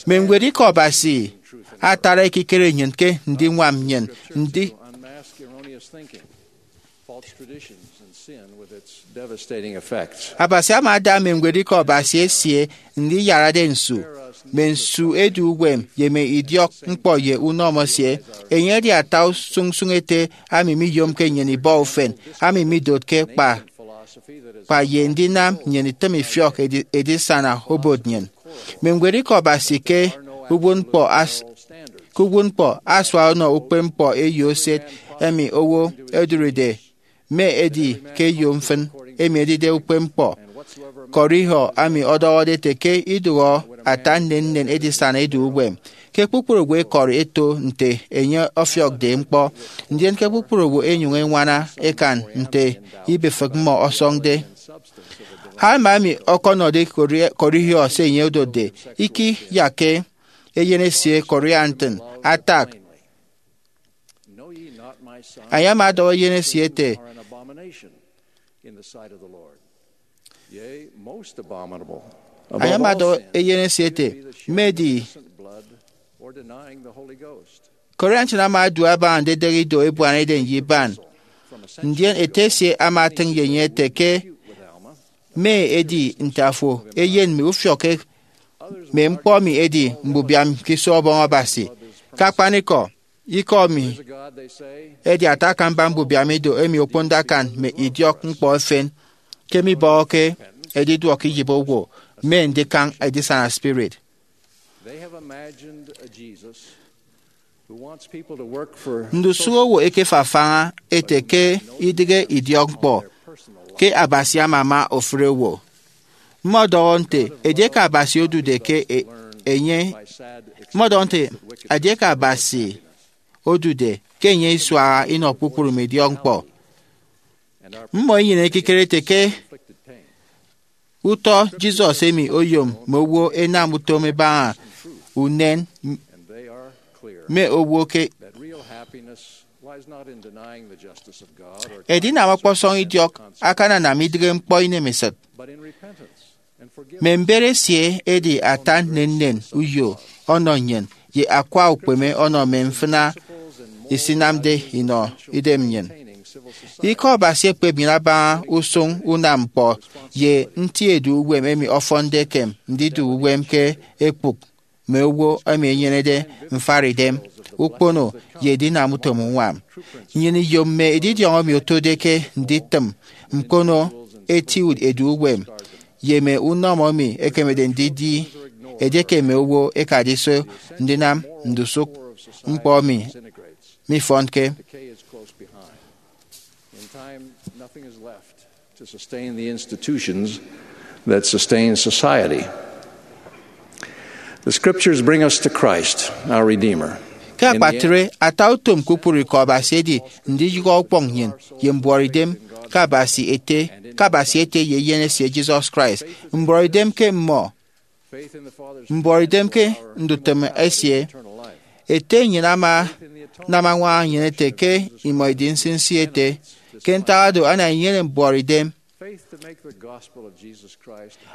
Mme ñwed ikọ Abasi atara ekikere nnyịn ke ndiñwam nnyịn ndi. Abasi ama ada mme ñwed ikọ Abasi esie ndiyarade nsu, mme nsu edu uwem ye mme idiọk ñkpọ ye unọmọ esie. Enye edi ata usụñsụñ ete ami miyomke nnyịn ibọ ufen, ami midotke kpa kpa ye ndinam nnyịn itịm ifiọk edi- edisana obot nnyịn. Mme ñwed ikọ Abasi ke uwụtñkpọ as- ke uwụtñkpọ asua ọnọ ukpepñkpọ eyo eset emi owo odụride, mme edi ke eyo mfịn emi edide ukpepñkpọ. Kọrihọ ami ọdọhọde ete ke idụhọ ata nnennen edisana edu uwem, ke kpukpru owo ẹkọri ẹto nte enye ọfiọkde ñkpọ, ndien ke kpukpru owo ẹnyụñ ẹñwana ẹkan nte ibifịk mmọ ọsọñde. Alma emi ọkọnọde Kori- Kọrihọ se enye odotde, ikiyakke eyen esie Corianton atak. Enye ama ọdọhọ eyen esie ete, enye ama ọdọhọ eyen esie ete, mme edi Corianton ama odu abaña ndidịghe ido ebuana eden ye iban. Ndien ete esie ama atịñ ye enye ete ke mme edi nte afo eyen mi ufiọkke mme ñkpọ mi edi mbubiam ke iso Ọbọñ Abasi. Ke akpanikọ, ikọ mi edi ata akamba mbubiam ido emi okponde akan mme idiọk ñkpọ efen ke mibọhọke ediduọk iyịp owo mme ndikañ edisana spirit. Ndusụk owo ẹkefafaña ẹte ke idịghe idiọkñkpọ ke Abasi amama ofụri owo. Mmọdọhọ nte edieke Abasi odude ke e- enye mmọdọhọ nte edieke Abasi odude ke enye isuaha inọ kpukpru mme idiọkñkpọ. Mmọ inyene ekikere ete ke utọ Jesus emi oyom mme owo ẹnam utom ẹbaña unen mme owo ke edinam ọkpọsọñ idiọk akananam idịghe ñkpọ inemesịt. Mme mber esie edi ata nnennen uyo ọnọ nnyịn ye akwa ukpeme ọnọ mme mfịna isinamde inọ idem nnyịn. Ikọ Abasi ekpep nnyịn abaña usụñ unam ñkpọ ye nti edu uwem emi ọfọnde ekem ndidu uwem ke ekpụk mme owo emi ẹnyenede mfaridem, ukpono, ye edinam utom uñwam. Nnyịn iyom mme edidiọñ emi otode ke nditịm ñkono eti edu uwem ye mme unọmọ emi ekemede ndidi edieke mme owo ẹkade iso ndinam ndusụk ñkpọ emi mifọnke. In time, nothing is left to sustain the institutions that sustain society. The scriptures bring us to Christ, our Redeemer. Ke akpatre, ata utom kpukpru ikọ Abasi edi ndiyụhọ ukpọñ nnyịn ye mbuọtidem ke Abasi ete, ke Abasi ete ye Eyen esie Jesus Christ. Mbuọtidem ke mmọ, mbuọtidem ke ndutịm esie. Ete nnyịn ama anam añwaña nnyịn ete ke imọ idi nsinsi ete. Ke ntak oro, ana inyene mbuọtidem,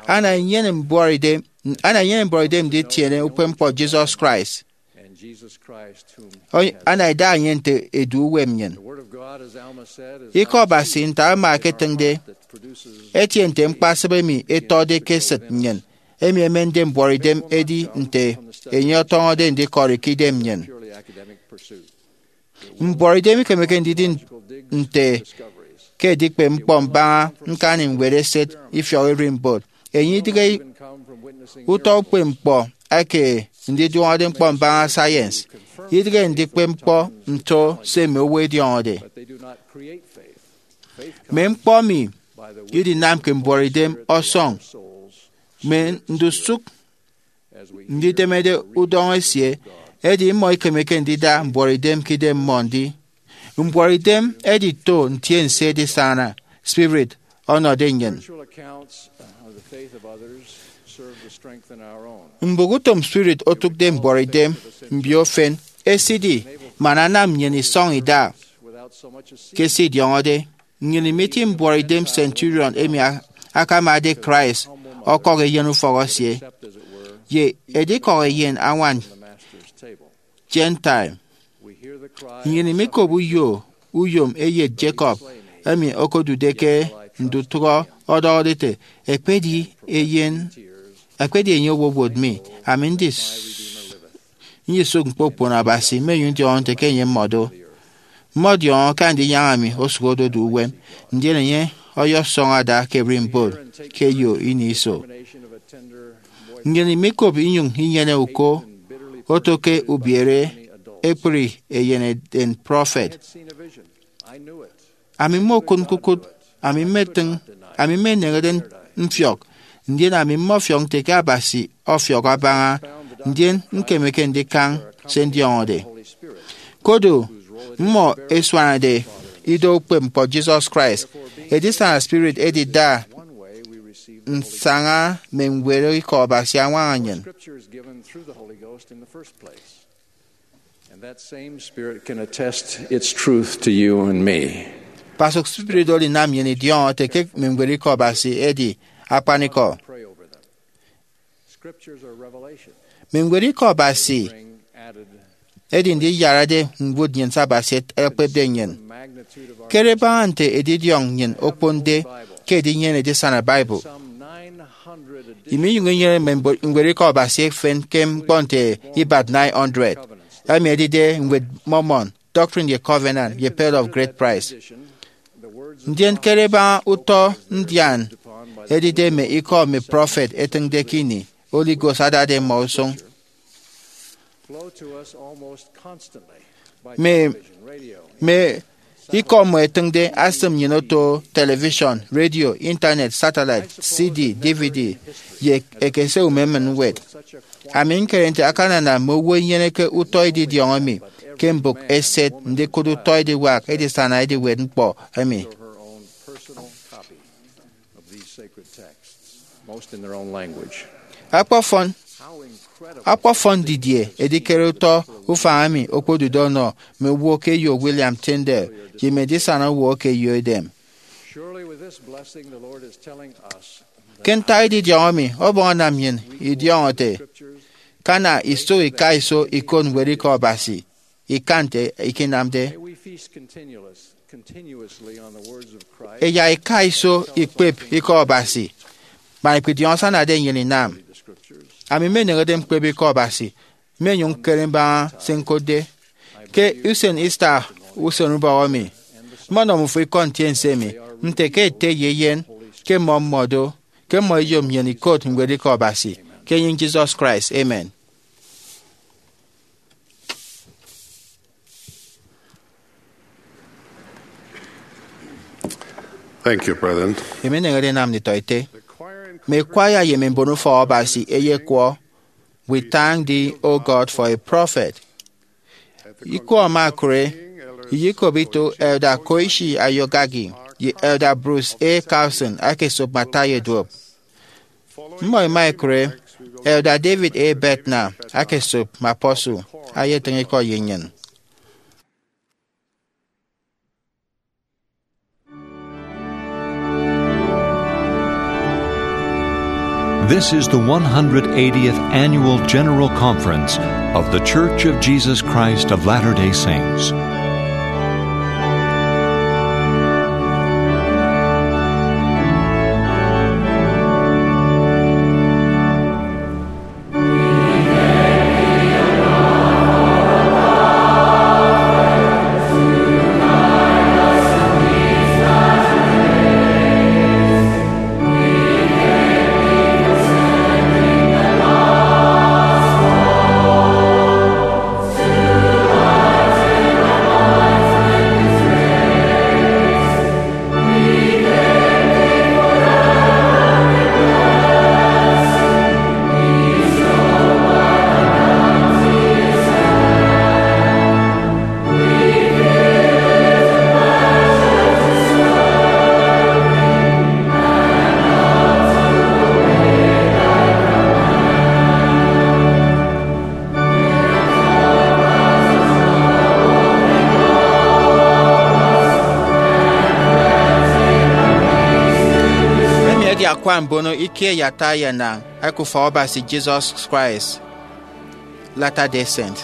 ana inyene mbuọtidem, ana inyene mbuọtidem nditiene ukpepñkpọ Jesus Christ. Ana ida enye nte edu uwem nnyịn. Ikọ Abasi, nte Alma eketịñde, etie nte ñkpasịp emi etọde ke esịt nnyịn, emi emende mbuọtidem edi nte enye ọtọñọde ndikọri ke idem nnyịn. Mbuọtidem ikemeke ndidi nte ke edikpep ñkpọ mbaña ñkani ñwed eset ifiọk ererimbot. Enye idịghe utọ ukpepñkpọ eke ndidiọñọde ñkpọ mbaña science, idịghe ndikpep ñkpọ nto se mme owo ẹdiọñọde. Mme ñkpọ emi idinamke mbuọtidem ọsọñ mme ndusụk nditemede udọñọ esie, edi mmọ ikemeke ndida mbuọtidem ke idem mmọ ndi. Mbuọtidem edito ntiense edisana spirit ọnọde nnyịn. Mbụk utom spirit otụkde mbuọtidem mbio efen esidi man anam nnyịn isọñ ida ke se idiọñọde. Nnyịn imeti mbuọtidem centurion emi a- akamade Christ ọkọk eyen ufọk esie, ye edikọk eyen añwan Gentile. Nnyịn imikop uyo uyom eyet Jacob emi okodude ke ndutụhọ ọdọhọde ete, "Ekpedi eyen, ekpedi enye owowot mi, ami ndis- ndisụk ñkpokpon Abasi, mmenyụñ ndiọñọ nte ke enye mmọ do. Mmọdiọñọ ke Andinyaña mi osụk ododu uwem, ndien enye ọyọsọñ ada ke ererimbot ke eyo ini iso." Nnyịn imikop inyụñ inyene uko oto ke ubiere ekpri eyen eden prọfet. Ami mmokụt ñkukụt, ami mmetịñ, ami mmeneñede mfiọk, ndien ami mmọfiọk nte ke Abasi ọfiọk abaña, ndien ñkemeke ndikañ se ndiọñọde. Kodu, mmọ ẹsuanade ido ukpepñkpọ Jesus Christ, edisana spirit edida nsaña mme ñwed ikọ Abasi añwaña nnyịn. And that same Spirit can attest its truth to you and me. Kpasụk spirit oro inam nnyịn idiọñọ ete ke mme ñwed ikọ Abasi ẹdi akpanikọ. Mme ñwed ikọ Abasi ẹdi ndiyarade ñwụt nnyịn se Abasi ekpepde nnyịn. Kere baña nte edidiọñ nnyịn okponde ke edinyene edisana Bible. Iminyụñ inyene mme mbo- ñwed ikọ Abasi efen ke ñkpọ nte ibat nine hundred, emi edide Ñwed Mormon, Doctrine and Covenant, ye Pearl of Great Price. Ndien kere baña utọ ndian edide mme ikọ mme prọfet ẹtịñde ke ini Holy Ghost adade mmọ usụñ. Mme, mme ikọ mmọ ẹtịñde asịm nnyịn oto television, radio, internet, satellite, C D, D V D, ye ekese umemịn ñwed. Ami ñkere nte akanana mme owo inyeneke utọ edidiọñ emi ke mbụk eset ndikụt utọ ediwak edisana ediwet ñkpọ emi. Akpọfọn, akpọfọn didie edikere utọ ufañ emi okpodude ọnọ mme owo ke eyo William Tyndale ye mme edisana owo ke eyo edem! Ke ntak edidiọñ emi, Ọbọñ anam nnyịn idiọñọ ete, "Kana iso ika iso ikot ñwed ikọ Abasi, ika nte ikinamde." Eya ika iso ikpep ikọ Abasi, man ikpidiọñ asanade nnyịn inam. Ami mmeneñede ñkpep ikọ Abasi, mmenyụñ ñkere mbaña se ñkotde. Ke usen Easter usenubọk emi, mmọnọ mmufo ikọ ntiense emi, nte ke ete ye eyen, ke mmọ mmọ do, ke mmọ ẹyom nnyịn ikot ñwed ikọ Abasi, ke enyịñ Jesus Christ. Amen. Thank you, brethren. Emi eneñede enam nditọete. Mme kwaya ye mme mbonufọk Abasi ẹyekwọ, "We thank thee, O God, for a prophet." Ikọ ama ekụre, iyikop ito Elder Koichi Ayogagi ye Elder Bruce A. Carlson akesop mme ata ye duop. Mmọ ẹma ẹkụre, Elder David A. Bednar akesop mme apostle, ayetịñ ikọ ye nnyịn. This is the one hundred eightieth Annual General Conference of The Church of Jesus Christ of Latter-day Saints. Akwa mbono ikie yata ye na eke ufọk Abasi Jesus Christ, Latter-day Saint.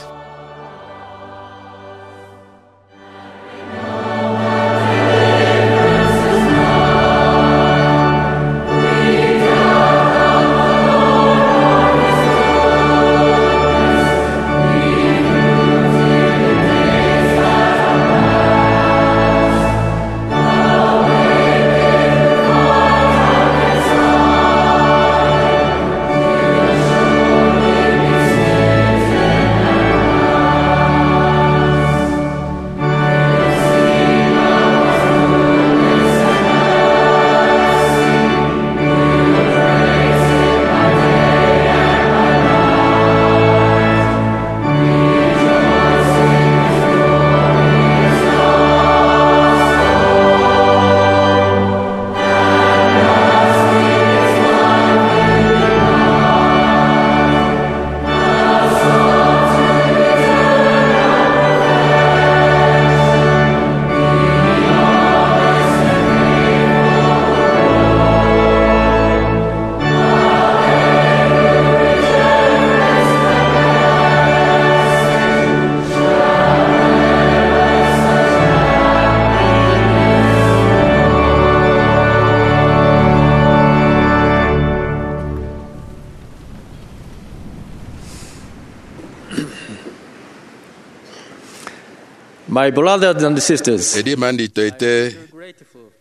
My brothers and sisters, edi man nditọete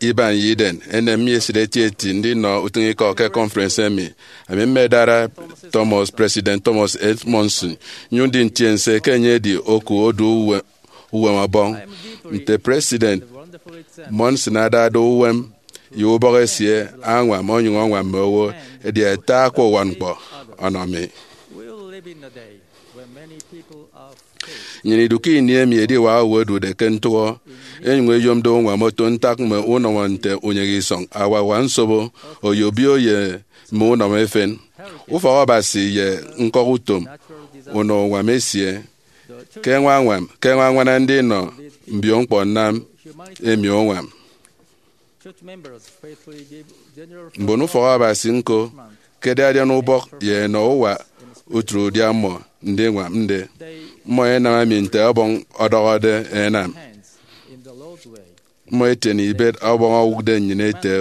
iban ye iden, enem mi esịt etieti ndinọ utịñikọ ke conference emi. Ami mmedara Thomas, President Thomas S. Monson, nyụñ ndi ntiense ke enye edi oku odu uwe-, uwem ọbọñ. Nte President Monson adade uwem ye ubọk esie añwam, onyụñ añwam mme owo, edi ata akwa uwakñkpọ ọnọ mi. Nnyịn idu ke ini emi ediwak owo ẹdude ke ntụhọ, enyụñ eyomde uñwam oto ntak mme unọmọ nte unyịghe isọñ, awawak nsobo, oyobio ye mme unọmọ efen, ufọk Abasi ye ñkọk utom unọ uñwam esie. Ke ñwañwam, ke ñwañwana ndinọ mbio ñkpọ nnam emi uñwam. Mbon ufọk Abasi ñko ẹkedi adian ubọk ye ẹnọ uwa utre udia mmọ ndiñwamde. Mmọ ẹnam emi nte Ọbọñ ọdọhọde ẹnam. Mmọ ẹtiene ibet Ọbọñ owụkde nnyịn ete,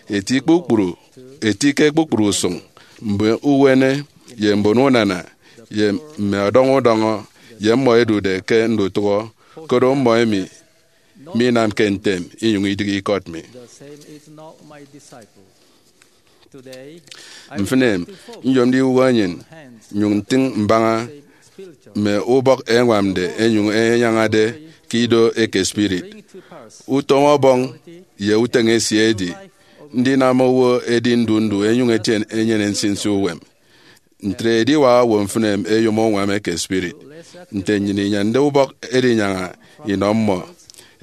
eti kpukpru, eti ke kpukpru usụñ, mbon uwene ye mbon unana, ye mme ọdọñọ udọñọ, ye mmọ ẹdude ke ndutụhọ, koro mmọ emi minamke ntem inyụñ idịghe ikọt mi. Mfịn em, nyom ndiwụhọ enyịn, nyụñ ntịñ mbaña mme ubọk ẹñwamde ẹnyụñ ẹnyañade ke ido eke spirit. Utom Ọbọñ ye uteñe esie edi ndinam owo edi ndu ndu ẹnyụñ ẹtiene, ẹnyene nsinsi uwem. Ntre ediwak owo mfịn em ẹyom uñwam eke spirit. Nte nnyịn inyande ubọk edinyaña inọ mmọ,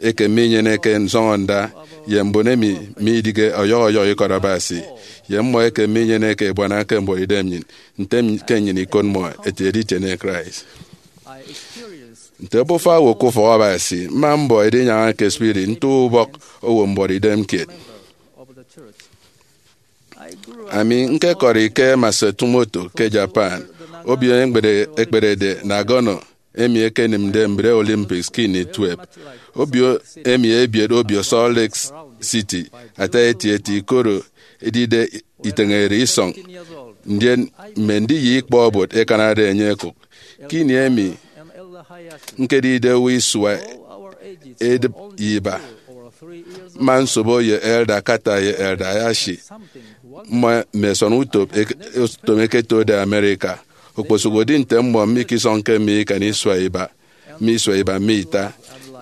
eke minyeneke nsọñọnda ye mbon emi midịghe ọyọhọ ọyọhọ ikọt Abasi, ye mmọ eke minyeneke ebuana ke mbuọtidem nnyịn, ntem ke nnyịn ikot mmọ ete editiene Christ. Nte obufa owo ke ufọk Abasi, mma mbọ edinyaña ke spirit nto ubọk owo mbuọtidem kiet. Ami ñkekọri ke Matsumoto ke Japan, obio ekpere-, ekperede Nagano, emi ekenịmde mbre Olympics ke ini tuep. Obio emi ebiet obio Salt Lake City ata etieti, koro edide iteñere isọñ, ndien mme ndiyọ ikpọ obot ẹkanade enye ẹkụk. Ke ini emi ñkedide owo isua edịp ye iba, mma nsobo ye Elder Carter ye Elder Hayashi. Mmọ mme ẹsọn utom eke-, utom ẹketode America. Okposụkedi nte mmọ mikisọñke mi ikan isua iba, mme isua iba mme ita,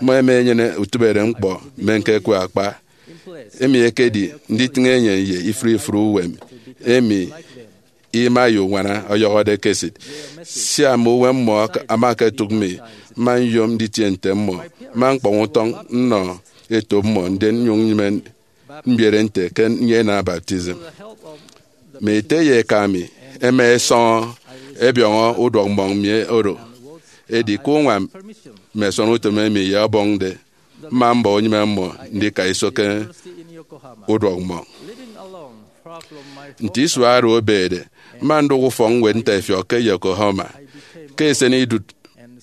mmọ ẹma ẹnyene utịbehe ñkpọ mme ñkekwe akpa, emi ekedi nditịñ enyịn ye ifụre ifụre uwem emi ima ye uñwana ọyọhọde ke esịt. Sia mme uwem mmọ ak-, ama aketụk mi, mma nyom nditie nte mmọ, mma ñkpọñ utọñ nnọ etop mmọ, ndien nnyụñ nnyịme mbiere nte ke nnyene baptism. Mme ete ye eka mi ẹma ẹsọñọ ẹbiọñọ uduọk mmọñ mi oro. Edi ke uñwam mme ẹsọn utom emi ye Ọbọñde, mma mbọ unyịme mmọ ndika iso ke uduọk mmọñ. Nte isua oro ebede, mma ndụk ufọkñwed ntaifiọk ke Yokohama. Ke esenidụt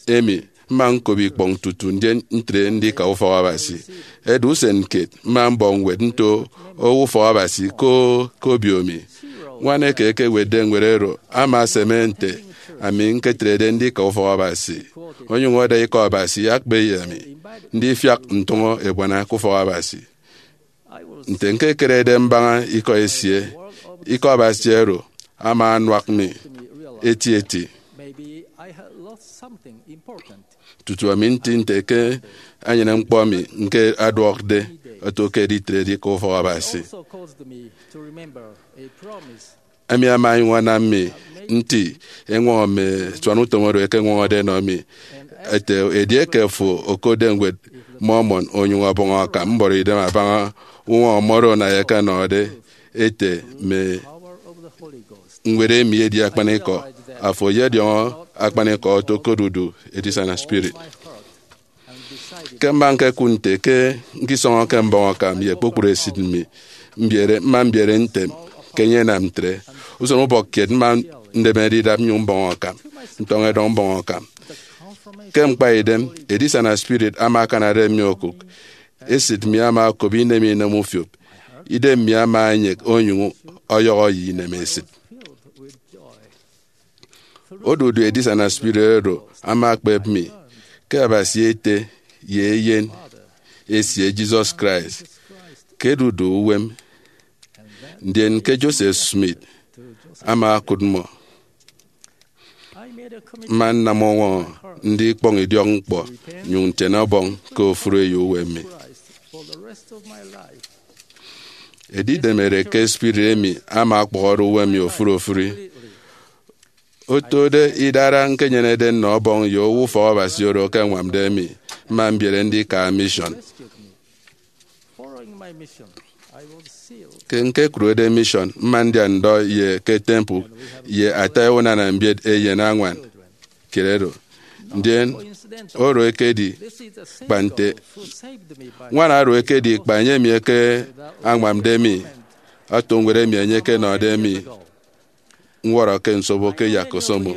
emi, mma ñkop ikpọñ tutu ndien ntre ndika ufọk Abasi. Edi usen kiet mma mbọ ñwed nto owo ufọk Abasi ko ke obio mi. Ñwan eke ekewetde ñwed oro ama aseme nte ami ñketrede ndika ufọk Abasi, onyụñ ọda Ikọ Abasi akpa ye ami ndifiak ntụñọ ebuana ke ufọk Abasi. Nte ñkekerede mbaña ikọ esie, Ikọ Abasi oro ama anuak mi eti eti tutu ami nti nte ke anyenịm ñkpọ mi ñke aduọkde oto ke editrede Ikọ ufọk Abasi. Emi ama enyụñ anam mi nti eñwọñọ mme asuan utom oro ẹkeñwọñọde ẹnọ mi, ete, edieke afo okotde ñwed Mormon onyụñ ọbọñ akam mbọrọidem abaña uñwọñọ mmọ oro, na ekenọde ete mme ñwed emi edi akpanikọ, afo eyediọñọ akpanikọ oto ke odudu edisana spirit. Ke mma ñkekụt nte ke ñkisọñọke mbọñ akam ye kpukpru esịt mi, mbiere, mma mbiere ntem ke enye enam ntre. Usen ubọk kiet mma ndemede idap nnyụñ mbọñ akam, ntọñ edọñ mbọñ akam. Ke ñkpaidem, edisana spirit ama akanade mi okụk. Esịt mi ama okop inem inem ufiop. Idem mi ama enyek onyụñ ọyọhọ ye inemesịt. Odudu edisana spirit oro ama akpep mi ke Abasi Ete ye Eyen esie, Jesus Christ, ke ẹdude uwem, ndien ke Joseph Smith ama okụt mmọ. Mma nnam uñwọñọ ndikpọñ idiọkñkpọ nnyụñ ntiene Ọbọñ ke ofụri eyo uwem mi. Edidemede ke spirit emi ama ọkpọhọde uwem mi ofụri ofụri. Otode idara ñkenyenede nnọ Ọbọñ ye owo ufọk Abasi oro ke añwamde mi, mma mbiere ndika mission. Ke ñkekurede mission, mma ndia ndọ ye ke temple ye ata unana mbiet eyen añwan kiet oro. Ndien oro ekedi kpa nte ñwan oro ekedi kpa enye mi eke añwamde mi oto ñwed emi enye ekenọde mi ñwọrọ ke nsobo ke yak osomo.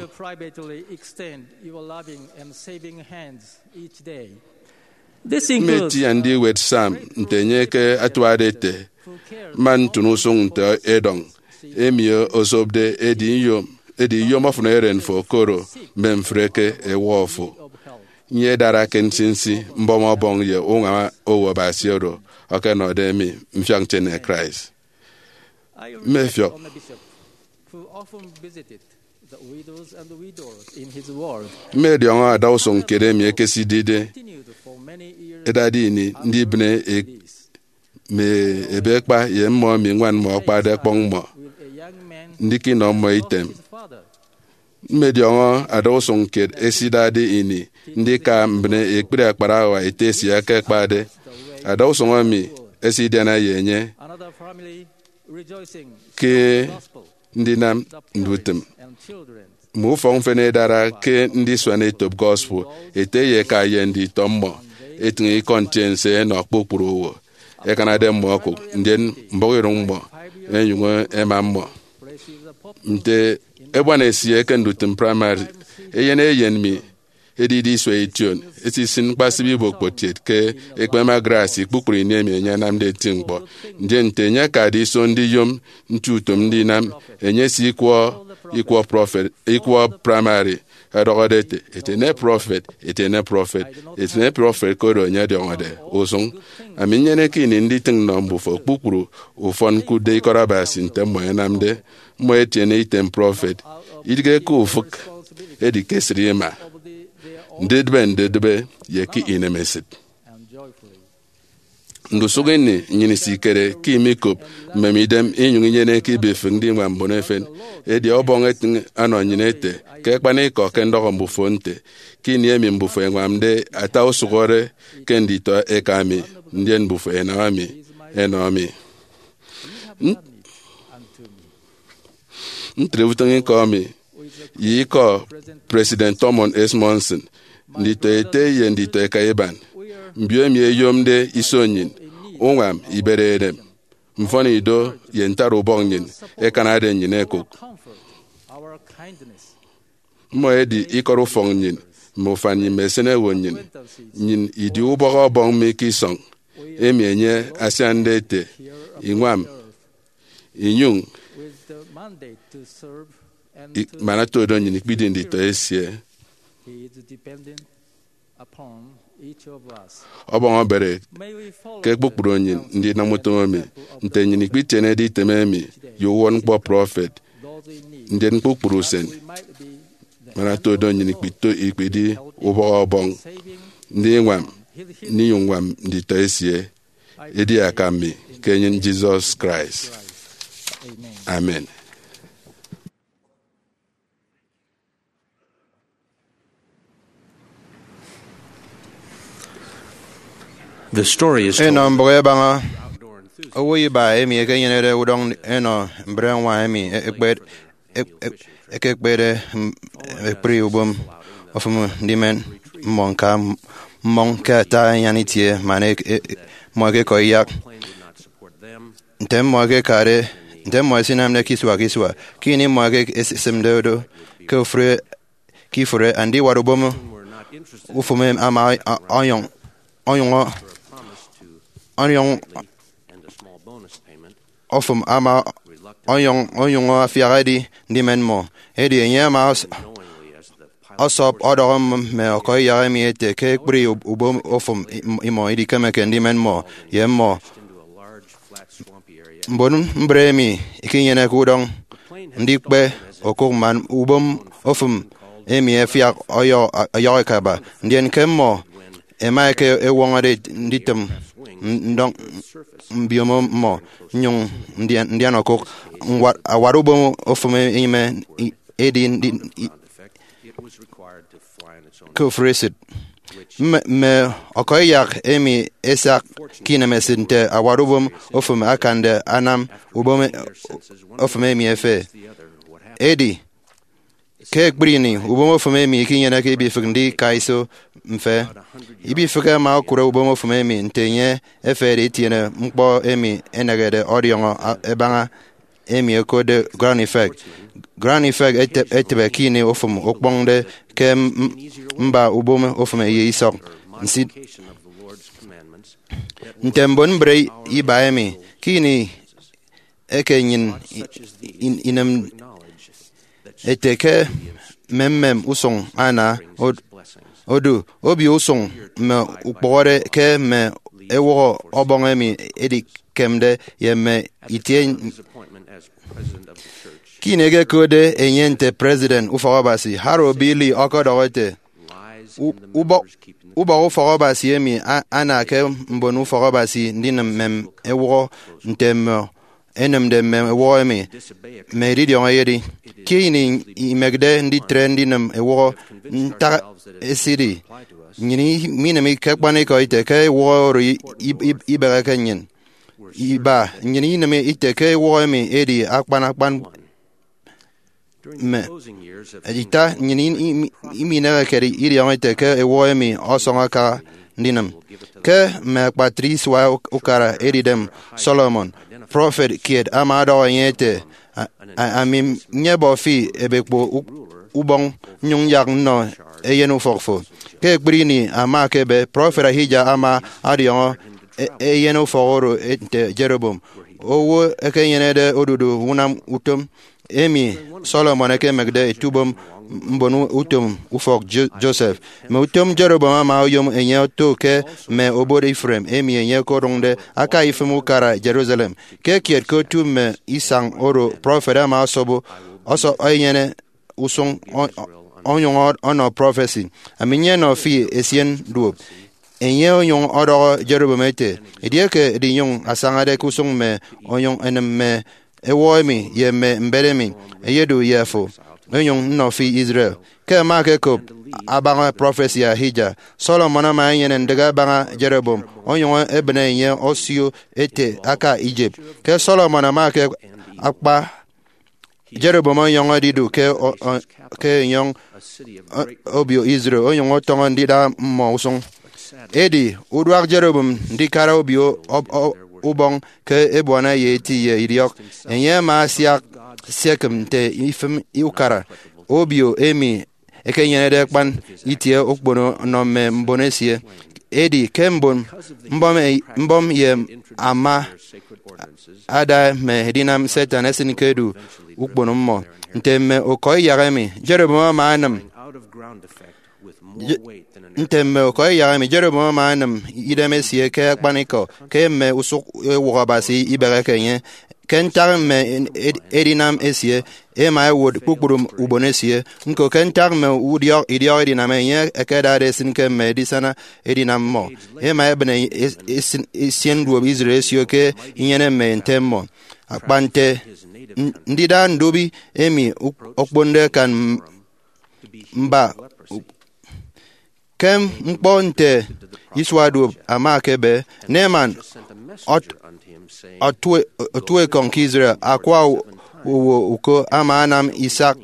Mme eti andiwet Psalm nte enye ke atuade ete, mma ntụn usụñ nte edọñ emi osopde edi iyom, edi iyom ọfọn eren fo koro mme mfreke ẹwọ fo. Nyedara ke nsinsi mbọm Ọbọñ ye uñwam owo Abasi oro ọkenọde mi mfiak ntiene Christ. Mmefiọk, mmediọñọ adausụñ kiet emi ekesidide ẹdade ini ndibịne e- mme ebeekpa ye mmọ emi ñwan mmọ akpade ẹkpọñ mmọ, ndika inọ mmọ item. Mmediọñọ adausụñ kiet esidade ini ndika mbịne ekpri akparawa ete esie eke akpade. Adausụñ emi esidiana ye enye ke ndinam ndutịm. Mme ufọk mfịna idara ke ndisuan etop gospel ete ye eka ye nditọ mmọ etịñ ikọ ntiense ẹnọ kpukpru owo ẹkanade mmọ okụk, ndien mbọhọidụñ mmọ ẹnyụñ ẹma mmọ. Nte ebuana esie ke ndutịm praimari, eyen eyen mi edide isua ition, esisịn ñkpasịp ibokpotiet ke ekpeme Grace kpukpru ini emi enye anamde eti ñkpọ. Ndien nte enye akade iso ndiyom nti utom ndinam, enye esikwọ ikwọ prọfet, ikwọ praimari, ọdọhọde ete, "Etiene prọfet, etiene prọfet, etiene prọfet," koro enye ọdiọñọde usụñ. Ami nnyeneke ini nditịñ nnọ mbufo kpukpru ufọn ñkụtde ikọt Abasi nte mmọ ẹnamde. Mmọ ẹtiene item prọfet, idighe ke ufịk, edi ke esịt ima, ndidịbe ndidịbe ye ke inemesịt. Ndusụk ini nnyịn isikere ke imikop mmemidem inyụñ inyeneke ibifịk ndiñwam mbon efen. Edi Ọbọñ etịñ ọnọ nnyịn ete, ke akpanikọ ke ndọhọ mbufo nte, ke ini emi mbufo ẹñwamde ata usụhọre ke nditọ eka mi, ndien mbufo ẹnam mi ẹnọ mi. Ntre utịñikọ mi ye ikọ President Thomas S. Monson, nditọ ete ye nditọ eka iban. Mbio emi ẹyomde iso nnyịn, uñwam, ibere edem, mfọnido ye ntara ubọk nnyịn ẹkanade nnyịn ẹkụk. Mmọ ẹdi ikọt ufọk nnyịn, mme ufan nnyịn, mme esịnewo nnyịn. Nnyịn idi ubọk Ọbọñ mi ke isọñ, emi enye asiande ete, iñwam, inyụñ i-, man otodo nnyịn ikpidi nditọ esie. Ọbọñ obere ke kpukpru nnyịn ndinam utom emi, nte nnyịn ikpitienede item emi ye uwụtñkpọ prọfet, ndien kpukpru usen, man otodo nnyịn ikpito-, ikpidi ubọk Ọbọñ, ndiñwam, ndinyụñ ñwam nditọ esie, edi akam mi ke enyịn Jesus Christ. Amen. The story is Enọ told mbụk ẹbaña owo iba emi ekenyenede udọñ enọ mbre ñwan emi ekpet-, ek-, ek-, ekekpede m-, ekpri ubom ofụm ndimen mmọ ñka. Mmọñ ke ata anyan itie man e-, e-, mmọ ekekọ iyak. Nte mmọ ekekade, nte mmọ esinamde ke isua ke isua, ke ini mmọ eke-, esisịmde do ke ofụri, ke ifụre, andiwat ubom ofụm ama ọnyọñ, ọnyọñ, ọnyọñ, ofụm ama ọnyọñ, onyụñ afiak edi ndimen mmọ. Edi enye ama ọs-, ọsọp ọdọhọ mme ọkọiyak emi ete ke ekpri ubom ofụm im-, imọ idikemeke ndimen mmọ ye mmọ. Mbon mbre emi ikinyeneke udọñ ndikpe okụk man ubom ofụm emi afiak ọyọ-, ọyọhọ akaba, ndien ke mmọ ẹma ẹke ẹwọñọde nditịm ndọñ mbiomo mmọ, nnyụñ ndian, ndian okụk. Ñwat, awat ubom ofụm ime i-, edi ndi-, i-, ke ofụri esịt. Mme, mme ọkọiyak emi ẹsak ke inemesịt nte awat ubom ofụm akande anam ubom ofụm emi efe. Edi, ke ekpri ini, ubom ofụm emi ikinyeneke ibifịk ndika iso mfe. Ibifịk ama okụre ubom ofụm emi nte enye efede itiene ñkpọ emi enehede ọdiọñọ a-, ẹbaña, emi ẹkotde ground effect. Ground effect ete-, etịbe ke ini ofụm okpọñde ke m-, m-, mba ubom ofụm ye isọk nsit. Nte mbon mbre iba emi, ke ini eke nnyịn i-, i-, inem ete ke mmemmem usụñ ana od-, odu, obio usụñ mme ukpụhọde ke mme ewụhọ Ọbọñ emi edikemde ye mme itie. Ke ini ekekotde enye nte President Ufọk Abasi, Harold B. Lee ọkọdọhọ ete, "U-, ubọk, ubọk Ufọk Abasi emi a-, ana ke mbon Ufọk Abasi ndinịm mmem ewụhọ nte mmọ ẹnịmde mmem ewụhọ emi, mme edidiọñ eyedi. Ke ini imekde nditre ndinịm ewụhọ, ntak esidi nnyịn i-, minịm ke akpanikọ ite ke ewụhọ oro i-, i-, i-, ibeheke nnyịn? Iba, nnyịn inịm ite ke ewụhọ emi edi akpan akpan mme ita, nnyịn i-, i-, iminehekede idiọñọ ite ke ewụhọ emi ọsọñ aka ndinịm." Ke mme akpatre isua uk-, ukara Edidem Solomon, prọfet kiet ama ọdọhọ enye ete, "A-, a-, ami nyebọ fi ebekpo u-, ubọñ, nnyụñ nyak nnọ eyen ufọk fo." Ke ekpri ini ama ekebe, prọfet Ahijah ama ọdiọñọ e-, eyen ufọk oro nte Jeroboam, owo ekenyenede odudu unam utom emi Solomon ekemekde etubom mbon utom ufọk Jo-, Joseph. Mme utom Jeroboam ama oyom enye oto ke mme obot Ephraim emi enye okodụñde aka ifịm ukara Jerusalem. Ke kiet ke otu mme isañ oro, prọfet ama ọsobo, ọsọ enyene usụñ ọ-, ọ-, onyụñ ọ-, ọnọ prọfesi, "Ami nyenọ fi esien duop." Enye onyụñ ọdọhọ Jeroboam ete, "Edieke edinyụñ asañade ke usụñ mme onyụñ enịm mme ewụhọ emi ye mme mbet emi, eyedu ye afo, onyụñ nnọ fi Israel." Ke ẹma ẹkekop abaña prọfesi Ahijah, Solomon ama enyene ndịk abaña Jeroboam, onyụñ ebịne enye osio ete aka Egypt. Ke Solomon ama ke akpa, Jeroboam ọnyọñ edidu ke o-, o-, ke enyọñ o-, obio Israel, onyụñ ọtọñọ ndida mmọ usụñ. Edi uduak Jeroboam ndikara obio ob-, o-, ubọñ ke ebuana ye eti ye idiọk. Enye ama asiak siekịm nte ifịm ukara obio emi ekenyenede akpan itie okpono nnọ mme mbon esie. Edi ke mbon mbọm, mbọm ye ama ada mme edinam Satan esịn ke edu ukpono mmọ. Nte mme ọkọ iyak emi, Jeroboam ama anam Je- Nte mme ọkọ iyak emi, Jeroboam ama anam idem esie ke akpanikọ ke mme usụk ewụhọ Abasi ibeheke enye. Ke ntak mme ed- edinam esie, ema ewot kpukpru ubon esie. Ñko, ke ntak mme udiọk idiọk edinam enye ẹkedade esịn ke mme edisana edinam mmọ, ema ebịne es- esin- esien duop Israel esio ke inyene mme nte mmọ. Akpa nte n- ndida ndubi emi uk- okponde akan m- mba. Ke ñkpọ nte isua duop ama ekebe, Naaman ot- otue- otuekọñ ke Israel, akwa owo uko ama anam isak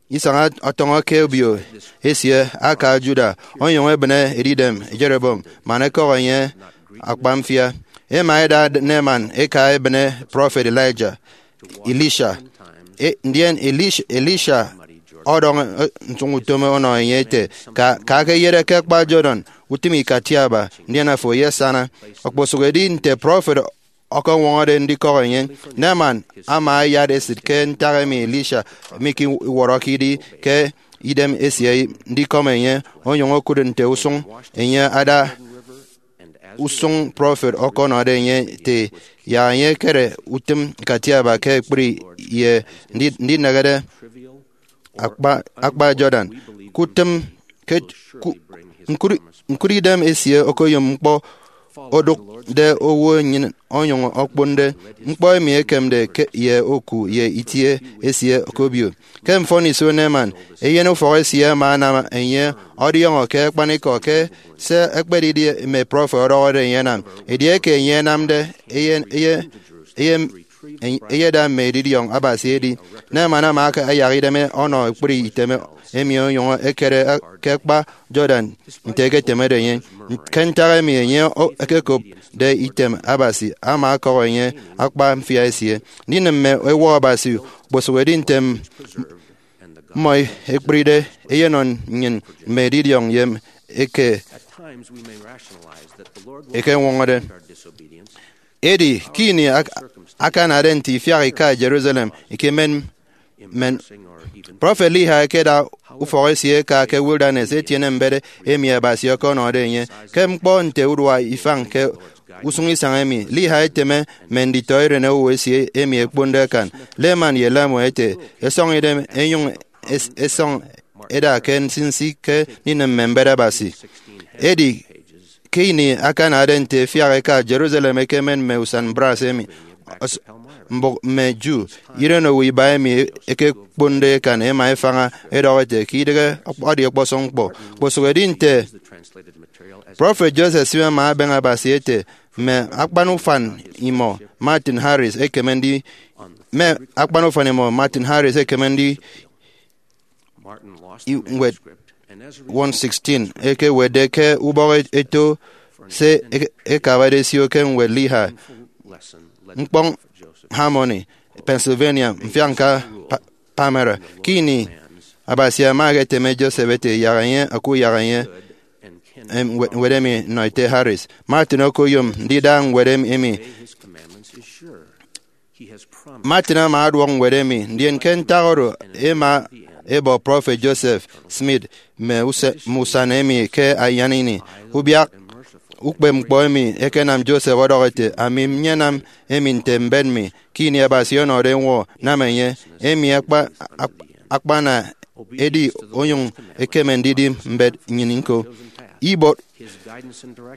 isaña ọtọñọ ke obio esie aka Judah, onyụñ ebịne edidem Jeroboam man ekọk enye akpa mfia. Ema eda Naaman eka ebịne prọfet Elijah, Elisha. E- ndien Elisha, Elisha ọdọñ, e, ntụñutom ọnọ enye ete, ka, ka ke eyede ke akpa Jordan, utịm ikatiaba, ndien afo eyesana. Okposụkedi nte prọfet ọkọñwọñọde ndikọk enye, Naaman ama ayat esịt ke ntak emi Elisha mikiwọrọke idi ke idem esie ndikọm enye, onyụñ okụt nte usụñ enye ada usụñ prọfet ọkọnọde enye ete yak enye ekere utịm ikatiaba ke ekpri ye ndi- ndinehede akpa, akpa Jordan. Kutịm ke ku- ñkụri- ñkụri idem esie okoyom ñkpọ odụkde owo nnyịn onyụñ okponde ñkpọ emi ekemde ke ye oku ye itie esie okobio. Ke mfọniso Naaman, eyen ufọk esie ama anam enye ọdiọñọ ke akpanikọ ke se ekpedidi mme prọfet ọdọhọde enye anam. Edieke enye anamde, eye, eye, eye, eyeda mme edidiọñ Abasi edi. Naaman ama ayak idem ọnọ ekpri item emi onyụñ ekere ke akpa Jordan nte eketemede enye. Ke ntak emi enye o- ekekopde item Abasi, ama ọkọk enye akpa mfia esie. Ndinịm mme ewụhọ Abasi okposụkedi nte mmọ ekpride eyenọ nnyịn mme edidiọñ ye eke ekeñwọñọde. Edi ke ini ak- akanade nte ifiak ika Jerusalem ikemen men, prọfet Lehi ekeda ufọk esie eka ke wilderness etiene mbet emi Abasi ọkọnọde enye. Ke ñkpọ nte urua ifañ ke usụñ isañ emi, Lehi eteme mme nditọ eren owo esie emi ẹkponde akan, Laman ye Lemuel, ete, ẹsọñ idem ẹnyụñ es- ẹsọñ ẹda ke nsinsi ke ndinịm mme mbet Abasi. Edi ke ini akanade nte efiak eka Jerusalem ekemen mme usan brass emi, os- mbụk mme Jew, irenowo iba emi ẹkekponde akan ẹma ẹfaña ẹdọhọ ẹte ke idịghe, edi ọkpọsọñ ñkpọ. Kposụkedi nte prọfet Joseph Smith ama abeñe Abasi ete, mme akpan ufan imọ Martin Harris ekeme ndi mme akpan ufan imọ Martin Harris ekeme ndi i- ñwed one sixteen ekewetde ke ubọk eto se e- ekabade esio ke ñwed Lehi, ñkpọñ Harmony, Pennsylvania, mfiakñka Pa- Palmyra. Ke ini Abasi ama eketeme Joseph ete yak enye okuyak enye, em, ñwed emi nnọ ete Harris. Martin okoyom ndida ñwed emi. Martin ama aduọk ñwed emi, ndien ke ntak oro ema ebọ prọfet Joseph Smith mme use- mme usan emi ke anyan ini. Ubiak ukpepñkpọ emi ekenam Joseph ọdọhọ ete, ami nyenam emi nte mbet mi, ke ini Abasi ọnọde ñwo, nam enye. Emi akpa- ak- akpana edi onyụñ ekeme ndidi mbet nnyịn ñko. Ibuot,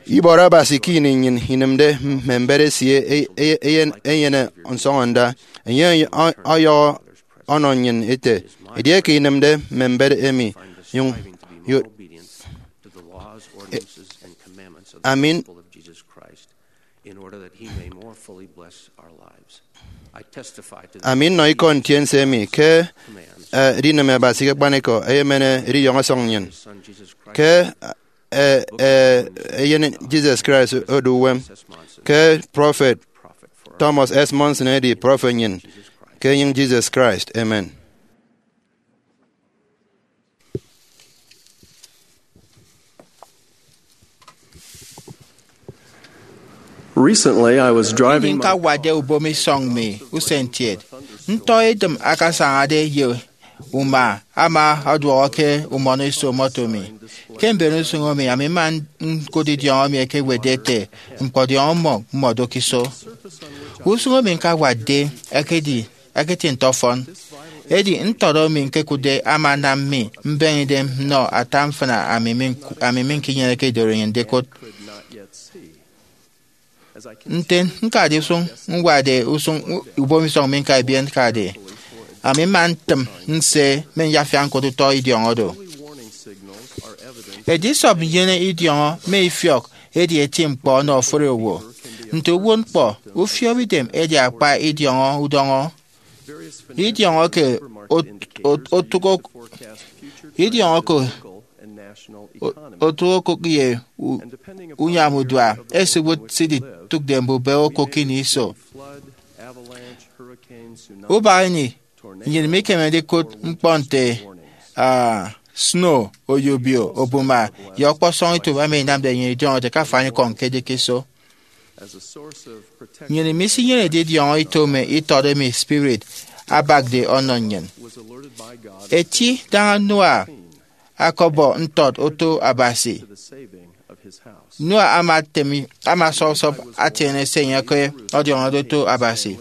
ibuot Abasi ke ini nnyịn inịmde mme mbet esie e- e- eyen- enyene nsọñọnda. Enye ọ- ọyọhọ ọnọ nnyịn ete, edieke inịmde mme mbet emi, nyụñ yot ami. In order that he may more fully bless our lives. I testify to the Ami nnọ ikọ ntiense emi ke, eh, edinịm Abasi ke akpanikọ, eyemen edidiọñ ọsọñ nnyịn. Son Jesus Christ, ke, eh, eh, eyen Jesus Christ odu uwem, ke prọfet Thomas S. Monson edi prọfet nnyịn ke enyịñ Jesus Christ. Amen. Recently, I was driving my nkawarde ubom isọñ mi usentiet. Ntọ edịm akasañade ye uma ama ọduọhọ ke umọnọ iso moto mi. Ke mben usụñ emi, ami mma ñkụt idiọñọ mi ekewetde ete, ñkpọdiọñọ mmọ mmọdụk iso. Usụñ emi ñkawatde ekedi eketi ntọfọn. Edi ntọt emi ñkekụtde ama anam mi mbeñe idem nnọ ata mfịna ami mi ñku- ami mi ñkinyeneke idorenyin ndikụt. Nte ñkade usụñ, ñwade usụñ u- ubom isọñ mi ñka ebiet ñkade, ami mma ntịm nse mme nyafiak ñkụt utọ idiọñọ do. Edisọp nnyene idiọñọ mme ifiọk edi eti ñkpọ ọnọ ofụri owo. Nte uwụtñkpọ, ufiopidem edi akpa idiọñọ udọñọ. Idiọñọ ke ot- ot- otụk ok- idiọñọ ke o- otụk okụk ye u- unyam udua esiwụt se iditụkde mbube okụk ini iso. Ubak ini, nnyịn mikeme ndikụt ñkpọ nte, ah, snow, oyobio, obuma, ye ọkpọsọñ itop emi inamde nnyịn idiọñọde ke afanikọñ ke edikiso. Nnyịn misinyenede idiọñọ ito mme itọt emi spirit abakde ọnọ nnyịn. Eti daña Noah akọbọ ntọt oto Abasi. Noah ama tem- ama sọpsọp atiene se enye ke ọdiọñọde oto Abasi.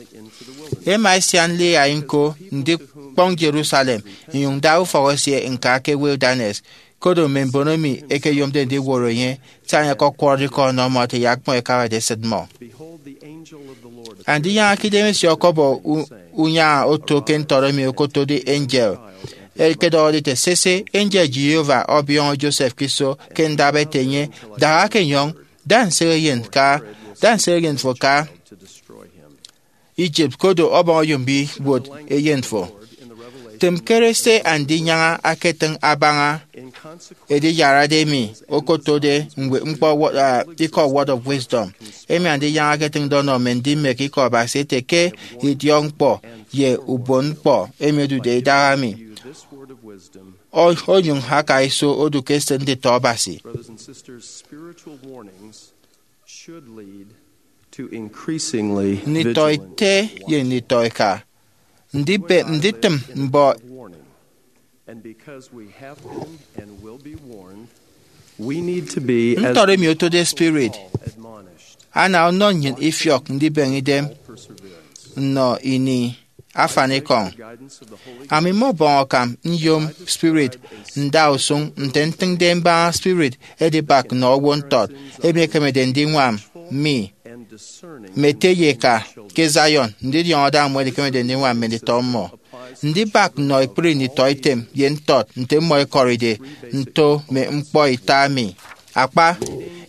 Ema esian Lehi ñko ndikpọñ Jerusalem, inyụñ da ufọk esie ñka ke wilderness, kodo mme mbono emi ẹkeyomde ndiwọrọ enye, sia enye ọkọkwọrọde ikọ ọnọ mmọ ete yak mmọ ẹkabade esịt mmọ. Andinyaña ke idemesie ọkọbọ u- unyaña oto ke ntọt emi okotode angel, ẹkedọhọde ete, sese, angel Jehovah ọbiọñọ Joseph ke iso ke ndap ete enye, daha ke enyọñ, da nsere eyen ka da nsere eyen fo ka Egypt, kodo ọbọñ oyombibuot eyen fo. Tịm kere se Andinyaña aketịñ abaña ediyarade emi okotode ñkpọ word, ah, ikọ Word of Wisdom, emi Andinyaña aketịñde ọnọ mme ndimek ikọ Abasi ete ke idiọkñkpọ ye ubon ñkpọ emi odude idaha mi, o- onyụñ aka iso odu ke esịt nditọ Abasi. Nditọ ete ye nditọ eka, ndibe- nditịm mbọ ntọt emi otode spirit ana ọnọ nnyịn ifiọk ndibeñe idem nnọ ini afanikọñ. Ami mmọbọñ akam nyom spirit nda usụñ nte ntịñde mbaña spirit edibak nnọ owo ntọt emi ekemede ndiñwam mi mme ete ye eka ke Zion, ndidiọñọ da mmọ ẹdikemede ndiñwam mme nditọ mmọ. Ndibak nnọ ekpri nditọ item ye ntọt nte mmọ ẹkọride nto mme ñkpọ ita mi. Akpa,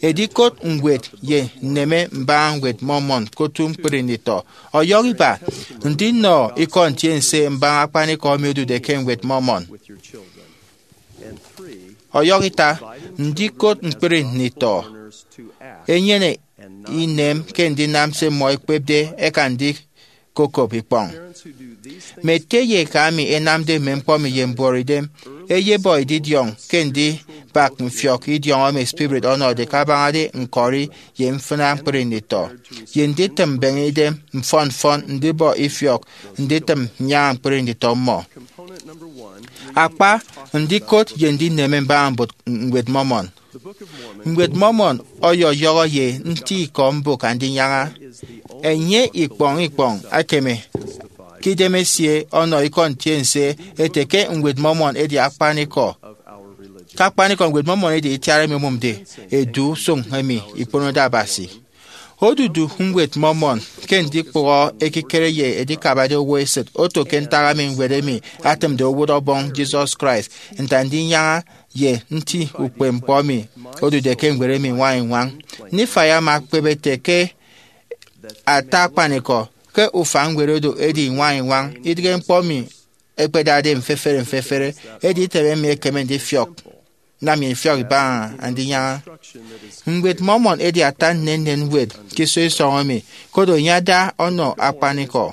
edikot ñwed ye nneme mbaña Ñwed Mormon ke otu ñkpri nditọ. Ọyọhọ iba, ndinọ ikọ ntiense mbaña akpanikọ emi odude ke Ñwed Mormon. Ọyọhọ ita, ndikot ñkpri nditọ ẹnyene inem ke ndinam se mmọ ẹkpepde ẹka ndikokop ikpọñ. Mme ete ye eka emi ẹnamde mme ñkpọ emi ye mbuọtidem ẹyebọ edidiọñ ke ndibak mfiọk idiọñọ emi spirit ọnọde kabañade ñkọri ye mfịna ñkpri nditọ, ye nditịm mbeñe idem mfọn mfọn ndibọ ifiọk nditịm nnyaña ñkpri nditọ mmọ. Akpa, ndikot ye ndineme mbaña mbụk Ñwed Mormon. Ñwed Mormon ọyọyọhọ ye nti ikọ mbụk Andinyaña. Enye ikpọñ ikpọñ ekeme ke idemesie ọnọ ikọ ntiense ete ke Ñwed Mormon edi akpanikọ. Ke akpanikọ, Ñwed Mormon edi itiara emi omụmde edu usụñ emi ikponode Abasi. Odudu Ñwed Mormon ke ndikpụhọ ekikere ye edikabade owo esịt oto ke ntak emi ñwed emi atịmde owụt ọbọñ Jesus Christ, nte Andinyaña ye nti ukpepñkpọ emi odude ke ñwed emi ñwañiñwañ. Nifai ama ekpep ete ke ata akpanikọ ke ufan ñwed oro edi ñwañiñwañ, idịghe ñkpọ emi ẹkpedade mfefere mfefere, edi item emi ekeme ndifiọk nam nnyịn ifiọk ibaña Andinyaña. Ñwed Mormon edi ata nnennen ñwed ke iso isọñ emi, koro enye ada ọnọ akpanikọ.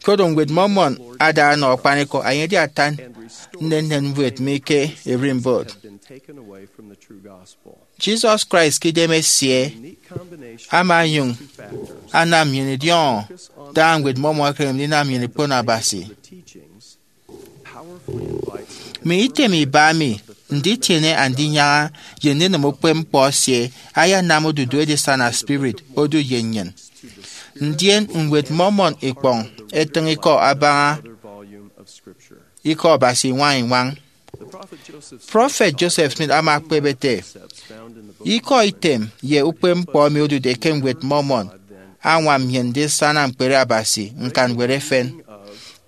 Koro Ñwed Mormon ada ọnọ akpanikọ, enye edi ata nnennen ñwed mi ke ererimbot. Jesus Christ ke idem esie ama onyụñ anam nnyịn idiọñọ daña Ñwed Mormon ekeme ndinam nnyịn ikpono Abasi. Mi item iba mi nditiene Andinyaña ye ndinịm ukpepñkpọ esie ayanam odudu edisana spirit odu ye nnyịn. Ndien Ñwed Mormon ikpọñ etịñ ikọ abaña ikọ Abasi iñwañ-iñwañ. Prọfet Joseph Smith ama ekpep ete, ikọ item ye ukpepñkpọ emi odude ke Ñwed Mormon añwam nnyịn ndisana ñkpere Abasi ñkanñwed efen.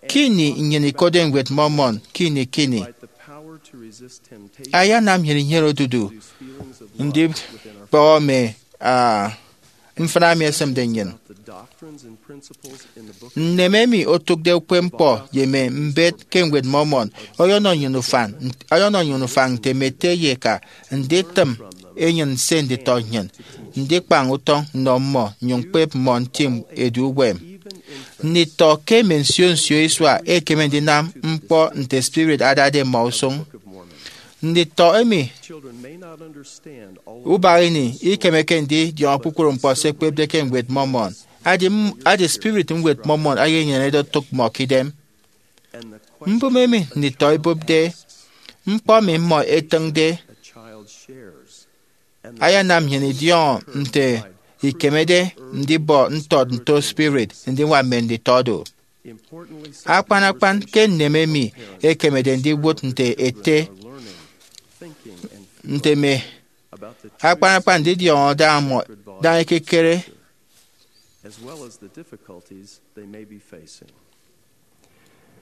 Ke ini nnyịn ikotde Ñwed Mormon ke ini ke ini, ayanam nnyịn inyene odudu ndibọhọ mme, ah, mfịna emi ẹsịmde nnyịn. Nneme emi otụkde ukpepñkpọ ye mme mbet ke Ñwed Mormon ọyọnọ nnyịn ufañ, ọyọnọ nnyịn ufañ nte mme ete ye eka nditịm enyịn nse nditọ nnyịn, ndikpañ utọñ nnọ mmọ, nnyụñ ñkpep mmọ ntịm edu uwem. Nditọ ke mme nsio nsio isua ẹkeme ndinam ñkpọ nte spirit adade mmọ usụñ. Nditọ emi ubak ini ikemeke ndidiọñọ kpukpru ñkpọ se ẹkpepde ke Ñwed Mormon. Adi, adi spirit Ñwed Mormon eyenyenede otụk mmọ ke idem. Mbụme emi nditọ ibụpde, ñkpọ emi mmọ ẹtịñde, ayanam nnyịn idiọñọ nte ikemede ndibọ ntọt nto spirit ndiñwam mme nditọ do. Akpan akpan ke nneme emi ekemede ndiwụt nte ete, nte mme akpan akpan ndidiọñọ daña mmọ, daña ekikere.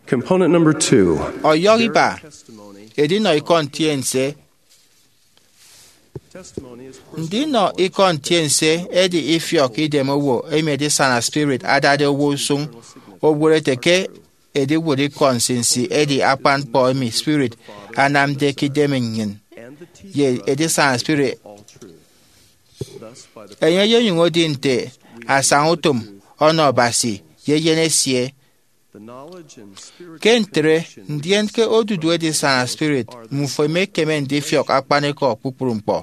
Component number two. Ọyọhọ iba, edinọ ikọ ntiense. Ndinọ ikọ ntiense edi ifiọk idem owo emi edisana spirit adade owo usụñ, owụt ete ke ediwụt ikọ nsinsi edi akpan ñkpọ emi spirit anamde ke idem nnyịn ye edisana spirit. Enye eyenyụñ edi nte asañautom ọnọ Abasi ye eyen esie. Ke ntre, ndien ke odudu edisana spirit, mmufo emekeme ndifiọk akpanikọ kpukpru ñkpọ.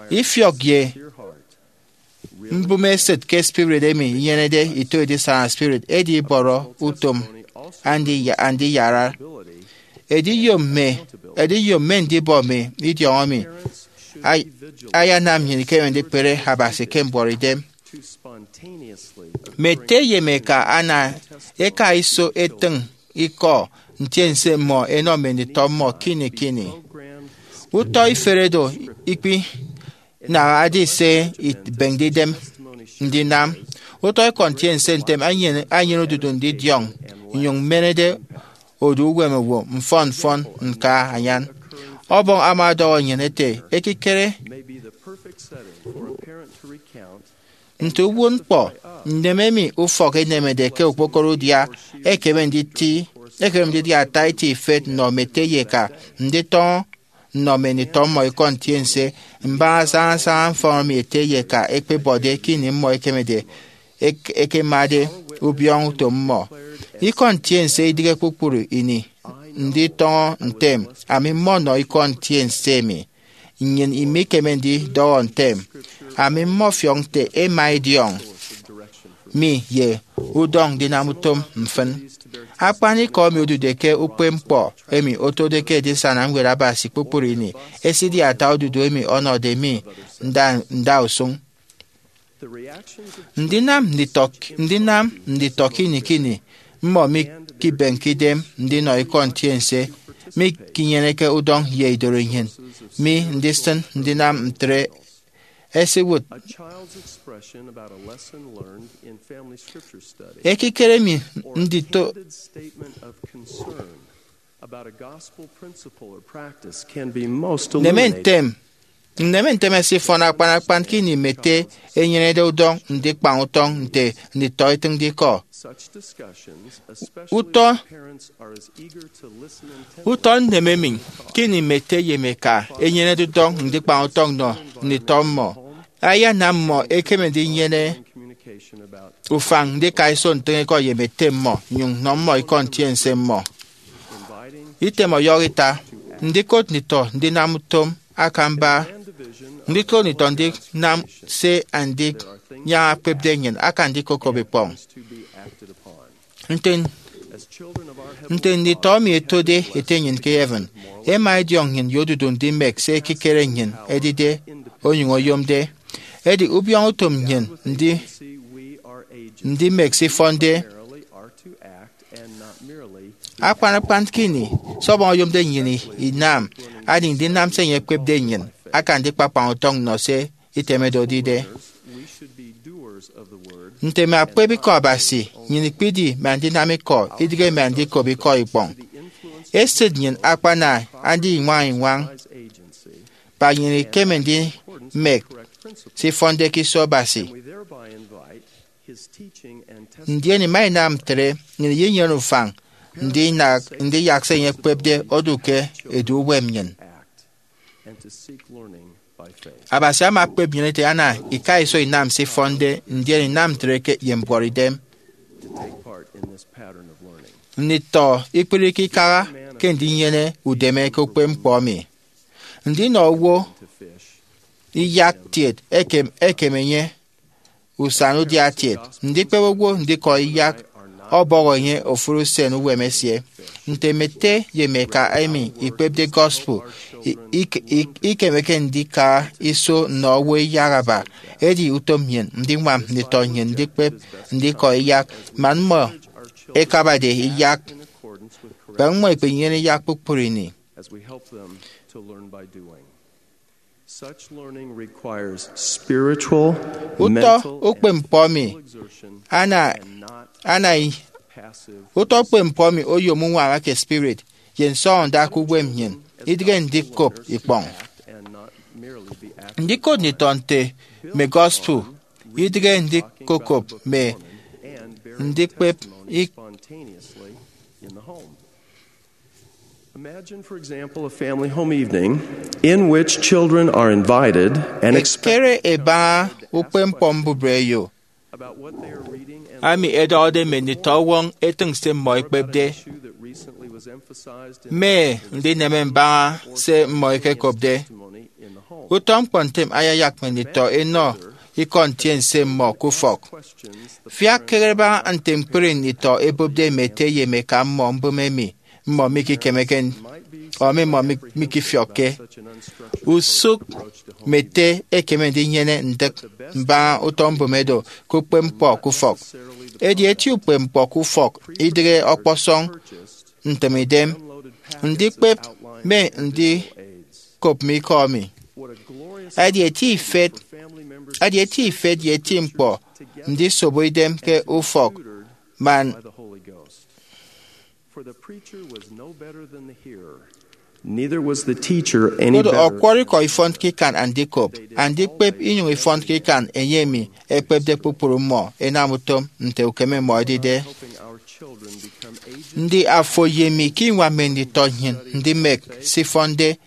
Ifiọk ye mbụme esịt ke spirit emi inyenede ito edisana spirit edi ibọrọ utom andiya-, andiyara. Ediyom mme, ediyom mme ndibọ mi idiọñọ mi ay-, ayanam nnyịn ikeme ndikpere Abasi ke mbuọtidem. Mme ete ye mme eka ana eka iso etịñ ikọ ntiense mmọ ẹnọ mme nditọ mmọ ke ini ke ini. Utọ ifere do ikpinaha edi se ibịñde idem ndinam. Utọ ikọ ntiense ntem anyene, anyene odudu ndidiọñ nnyụñ mmenede odu uwem owo mfọn mfọn ñka anyan. Ọbọñ ama ọdọhọ nnyịn ete, ekikere nte uwụtñkpọ, nneme emi ufọk enemede ke okpokoro udia ekeme nditi, ekeme ndidi ata eti ifet nnọ mme ete ye eka nditọñọ nnọ mme nditọ mmọ ikọ ntiense mbaña sañasaña mfọnmmi ete ye eka ẹkpebọde ke ini mmọ ẹkemede, ẹk-, ẹkemade ubiọñọ utom mmọ. Ikọ ntiense idịghe kpukpru ini nditọñọ ntem, ami mmọnọ ikọ ntiense emi. Nnyịn imikeme ndidọhọ ntem, ami mmọfiọk nte ẹma ẹdiọñ mi ye udọñ ndinam utom mfịn. Akpanikọ emi odude ke ukpepñkpọ emi otode ke edisana ñwed Abasi kpukpru ini esidi ata odudu emi ọnọde mi nda, ndausụñ. Ndinam nditọ, ndinam nditọ ke ini ke ini mmọ mikibenke idem ndinọ ikọ ntiense mikinyeneke udọñ ye idoro nnyịn mi ndisịn ndinam ntre. Esiwụt ekikere mi ndito neme ntem Nneme ntem ẹsifọn akpan akpan ke ini mme ete ẹnyenede udọñ ndikpañ utọñ nte nditọ ẹtịñde ikọ. Utọ utọ nneme emi ke ini mme ete ye mme eka ẹnyenede udọñ ndikpañ utọñ nnọ nditọ mmọ ayanam mmọ ẹkeme ndinyene ufañ ndika iso ntịñ ikọ ye mme ete mmọ nnyụñ nnọ mmọ ikọ ntiense mmọ. Item ọyọhọ ita, ndikot nditọ ndinam utom akamba, ndikot nditọ ndinam se andinyaña ẹkpepde nnyịn aka ndikokop ikpọñ. Nte nte nditọ emi ẹtode Ete nnyịn ke heaven, ẹma ẹdiọñ nnyịn ye odudu ndimek se ekikere nnyịn edide onyụñ oyomde. Edi ubiọñutom nnyịn ndi ndimek se ifọnde. Akpan akpan ke ini se Ọbọñ oyomde nnyịn inam, adi ndinam se enye ekpepde nnyịn aka ndikpakpañ utọñ nnọ se itemede odide. Nte mme akpep ikọ Abasi, nnyịn ikpidi mme andinam ikọ, idịghe mme andikop ikọ ikpọñ. Esịt nnyịn akpana andiñwañ iñwañ, kpa nnyịn ikeme ndimek se ifọnde ke iso Abasi. Ndien ima inam ntre, nnyịn iyenyene ufañ ndinak ndiyak se enye ekpepde odu ke edu uwem nnyịn. Abasi ama okpep nnyịn ete ana ika iso inam se ifọnde, ndien inam ntre ke ye mbuọtidem. Nditọ ikpirike ikaha ke ndinyene udeme ke ukpepñkpọ emi. Ndinọ owo iyak tiet ekem ekem enye usan udiatiet. Ndikpep owo ndikọ iyak ọbọhọ enye ofụri usen uwem esie. Nte mme ete ye mme eka emi ikpepde gospel i- ik- ik- ikemeke ndika iso nnọ owo iyak aba, edi utom nnyịn ndiñwam nditọ nnyịn ndikpep ndikọ iyak man mmọ ẹkabade iyak. Kpa mmọ ikpenyene iyak kpukpru ini. Such learning requires spiritual, utọ mental, ukpepñkpọ emi exertion ana and not ana i- passive. Utọ ukpepñkpọ emi oyom uñwaña ke spirit ye nsọñọnda ke uwem nnyịn, idịghe ndikop ikpọñ. Ndikot nditọ nte mme gospel, idịghe ndikokop mme ndikpep ik- Imagine, for example, a family home evening in which children are invited and expected. Ekere ebaña ukpepñkpọ mbubreyo ami ẹdọhọde mme nditọ ọwọñ ẹtịñ se mmọ ẹkpepde, mme ndineme mbaña se mmọ ẹkekopde. Utọ ñkpọ ntem ayayak mme nditọ ẹnọ ikọ ntiense mmọ ke ufọk. Fiak kegere baña nte ñkpri nditọ ẹbụpde mme ete ye mme eka mmọ mbụme emi mmọ mikikemeke ọ emi mmọ mi- mikifiọkke. Usụk mme ete ẹkeme ndinyene ndịk mbaña utọ mbụme do ke ukpepñkpọ ke ufọk. Edi eti ukpepñkpọ ke ufọk idịghe ọkpọsọñ ntịmidem ndikpep mme ndikop mme ikọ emi. Edi eti ifet, edi eti ifet ye eti ñkpọ ndisobo idem ke ufọk man. For the preacher was no better than the hearer, neither was the teacher any better. Koro ọkwọrọ ikọ ifọnke ikan andikop, andikpep inyụñ ifọnke ikan enye emi ekpepde kpukpru mmọ ẹnam utom nte ukeme mmọ edide. Ndi afo ye mi ke inwaña mme nditọ nnyịn ndimek se ifọnde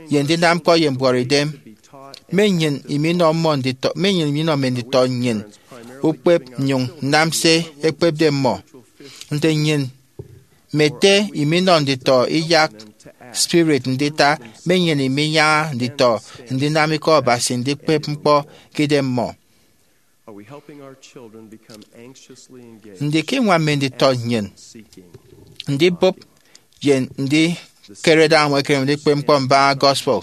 ye ndinam ñkpọ ye mbuọtidem? Mme nnyịn iminọ mmọ nditọ, mme nnyịn iminọ mme nditọ nnyịn ukpep nnyụñ nnam se ekpepde mmọ. Nte nnyịn mme ete iminọ nditọ iyak spirit ndita, mme nnyịn iminyaña nditọ ndinam ikọ Abasi ndikpep ñkpọ ke idem mmọ. Ndi ke inwaña mme nditọ nnyịn ndibụp ye ndikerede añwa ekedem ndikpep ñkpọ mbaña gospel?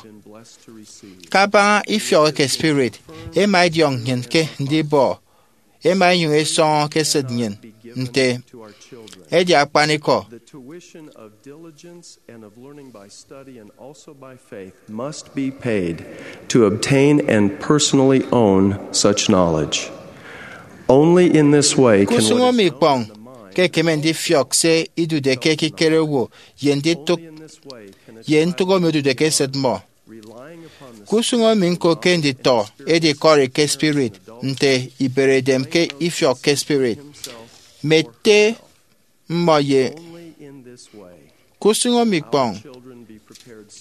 Kabaña ifiọk eke spirit, ema idiọñ nnyịn ke ndibọ, ema inyụñ isọñọ ke esịt nnyịn nte edi akpanikọ. The tuition of diligence and of learning by study and also by faith must be paid to obtain and personally own such knowledge. Only in this way can what is known in the mind. Ke usụñ emi ikpọñ ke ẹkeme ndifiọk se idude ke ekikere owo ye nditụk ye ntụk emi odude ke esịt mmọ. Ke usụñ emi ñko ke nditọ edikọri ke spirit, nte iberedem ke ifiọk ke spirit, mme ete mmọ ye ke usụñ emi ikpọñ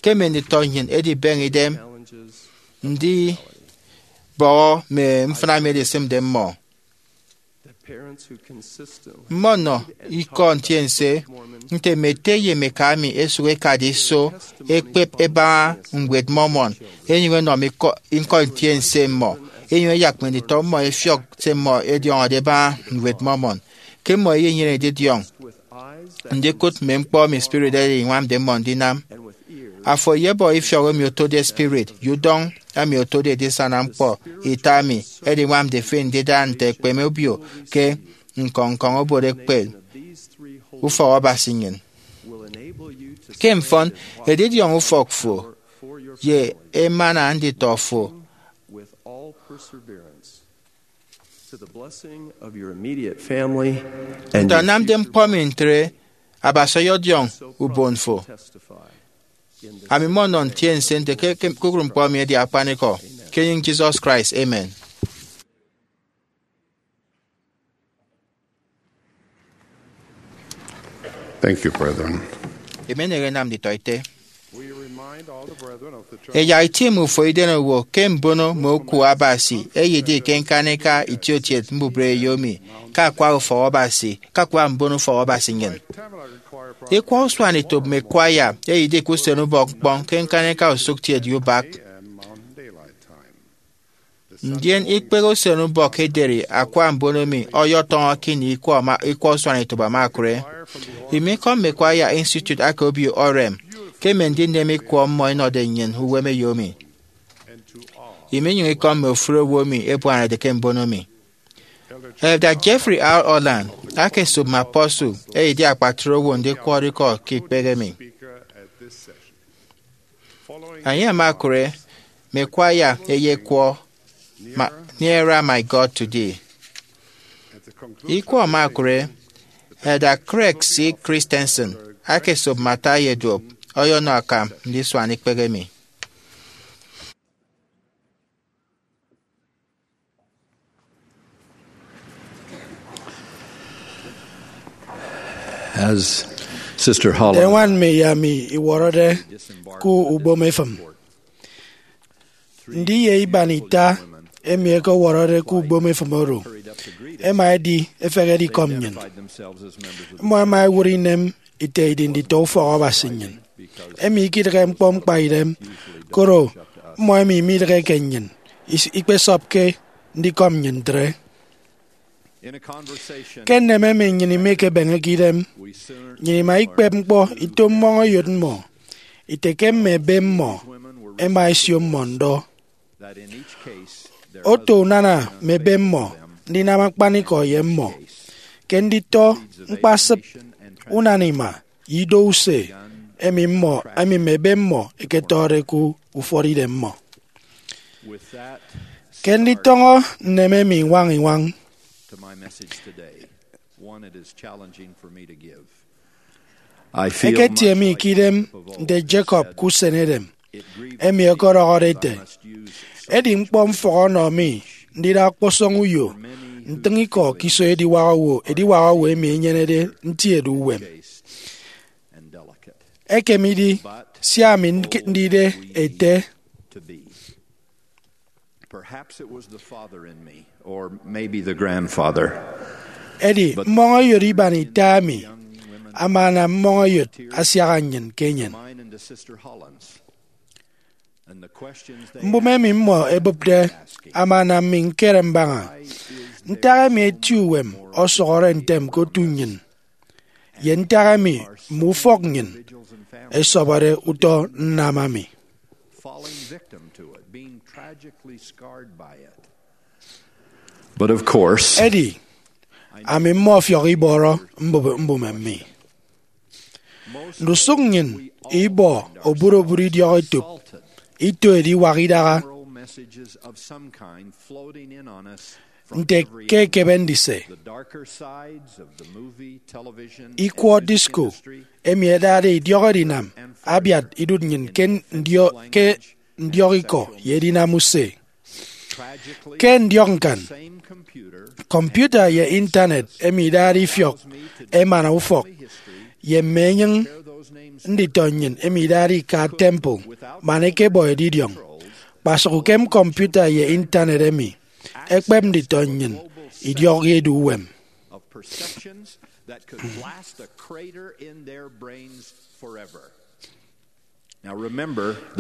ke mme nditọ nnyịn edibeñe idem ndibọhọ mme mfịna emi edisịmde mmọ. Mmọ nnọ ikọ ntiense nte mme ete ye mme eka emi ẹsụk ẹkade iso ẹkpep ẹbaña Ñwed Mormon, ẹnyụñ ẹnọ mme ikọ, ikọ ntiense mmọ, ẹnyụñ ẹyak mme nditọ mmọ ẹfiọk se mmọ ẹdiọñọde ẹbaña Ñwed Mormon. Ke mmọ ẹyenyene edidiọñ ndikụt mme ñkpọ emi spirit ẹdiñwamde mmọ ndinam, afo eyebọ ifiọk emi otode spirit ye udọñ emi otode edisana ñkpọ ita emi ẹdiñwamde fi ndida nte ekpeme obio ke ñkọñ ñkọñ obot ekpep ufọk Abasi nnyịn. Ke mfọn, edidiọñ ufọk fo ye emana nditọ fo. To the blessing of your immediate family and nte your anamde future ñkpọ emi ntre, Abasi ọyọdiọñ ubon fo. Testify in the Ami mmọ nnọ ntiense nte ke, ke kpukpru ñkpọ emi edi akpanikọ. Ke enyịñ Jesus Christ, amen. Thank you, brethren. Emenehe enam nditọete. Ẹyak itịm ufọkidem owo ke mbono mme oku Abasi eyedi ke ñkanika itiokiet mbubreyo emi ke akwa ufọk Abasi, ke akwa mbon ufọk Abasi nnyịn. Ikwa usuanetop mme kwaya eyedi ke usenubọk ñkpọñ ke ñkanika usụkkiet ye ubak. Ndien ikpehe usenubọk ederi akwa mbon emi ọyọtọñọ ke ini ikwa ama, ikwa usuanetop ama okụre. Imikọm mme kwaya Institute aka obio Orem ke mme ndinem ikwọ mmọ ẹnọde nnyịn uwemeyo mi. Iminyụñ ikọm mme ofụri owo emi ẹbuanade ke mbono mi. Elder Jeffrey R. Holland aka esop mme apostle eyedi akpatre owo ndikwọrọ ikọ ke ikpehe mi. Enye ama okụre mme kwaya eyekwọ ma, Nearer, My God, to Thee. Ikọ ama okụre, Elder Craig C. Christensen aka esop mme ata ye duop ọyọnọ akam ndisuan ikpehe mi. As Sister Holland Eñwan mi ye ami iwọrọde ku ubom efịm. Ndi ye iban ita emi ẹkewọrọde ku ubom efịm oro ẹma ẹdi ẹfehede ikọm nnyịn. Mmọ ẹma ẹwụt inem ite idi nditọ ufọk Abasi nnyịn, emi ikidịghe ñkpọ ñkpaidem, koro mmọ emi midịgheke nnyịn is-, ikpesọpke ndikọm nnyịn ntre. Ke nneme emi nnyịn imikebeñeke idem, nnyịn ima ikpep ñkpọ ito mmọñeyot mmọ, ite ke mme ebe mmọ ẹma ẹsio mmọ ndọ. Oto unana mme ebe mmọ ndinam akpanikọ ye mmọ, ke nditọ ñkpasịp unana ima ye ido use emi mmọ, emi mme ebe mmọ ẹketọde ku ufọt idem mmọ. Ke nditọñọ nneme emi iñwañ iñwañ, I feel eketie mi ke idem nte Jacob ke usen Edem, emi ọkọdọhọde ete, edi ñkpọ mfọk ọnọ mi ndida ọkpọsọñ uyo ntịñ ikọ ke iso ediwak owo, ediwak owo emi enyenede nti edu uwem. Ekem idi, sia ami ndide ete, Perhaps it was the father in me, or maybe the grandfather. Edi, but mmọñeyot iban ita emi ama anam mmọñeyot asiaha nnyịn ke enyịn. Mine and to Sister Holland's. And the questions they Mbụme emi mmọ ẹbụpde ama anam mi ñkere mbaña ntak emi eti uwem ọsọhọre ntem ke otu nnyịn, ye ntak emi mme ufọk nnyịn ẹsọbọde utọ nnam ami. Falling victim to it, being tragically scarred by it. But of course, edi, ami mmọfiọk ibọrọ mbụme, mbụme mi. Ndusụk nnyịn ibọ oburobụt idiọk etop, ito ediwak idaha. Messages of some kind floating in on us. Nte ke ekebe ndise, ikwọ disco emi ẹdade idiọk edinam abiat idụt nnyịn ke ndio-, ke ndiọk ikọ ye edinam use. Ke ndiọk ñkan, kọmputa ye Intanet emi idade ifiọk emana ufọk ye mme enyịñ nditọ nnyịn emi idade ika temple man ẹkebọ edidiọñ. Kpasụk ukem kọmputa ye Intanet emi, ẹkpep nditọ nnyịn idiọk edu uwem.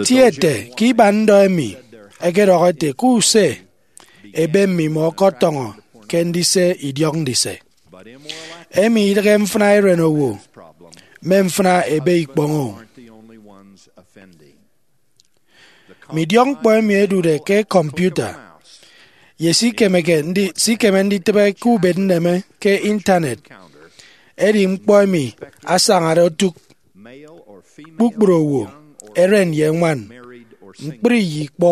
Tie ete ke iban ndọ emi ẹkedọhọ ete ke use ebe mmimọ ọkọtọñọ ke ndise idiọk ndise. Emi idịghe mfịna eren owo mme mfịna ebe ikpọñ-o. Mme idiọkñkpọ emi ẹdude ke kọmputa ye sikemeke ndi- sikeme nditịbe ke ubet nneme ke Intanet ẹdi ñkpọ emi asañade otụk kpukpru owo, eren ye ñwan, ñkpri ye ikpọ,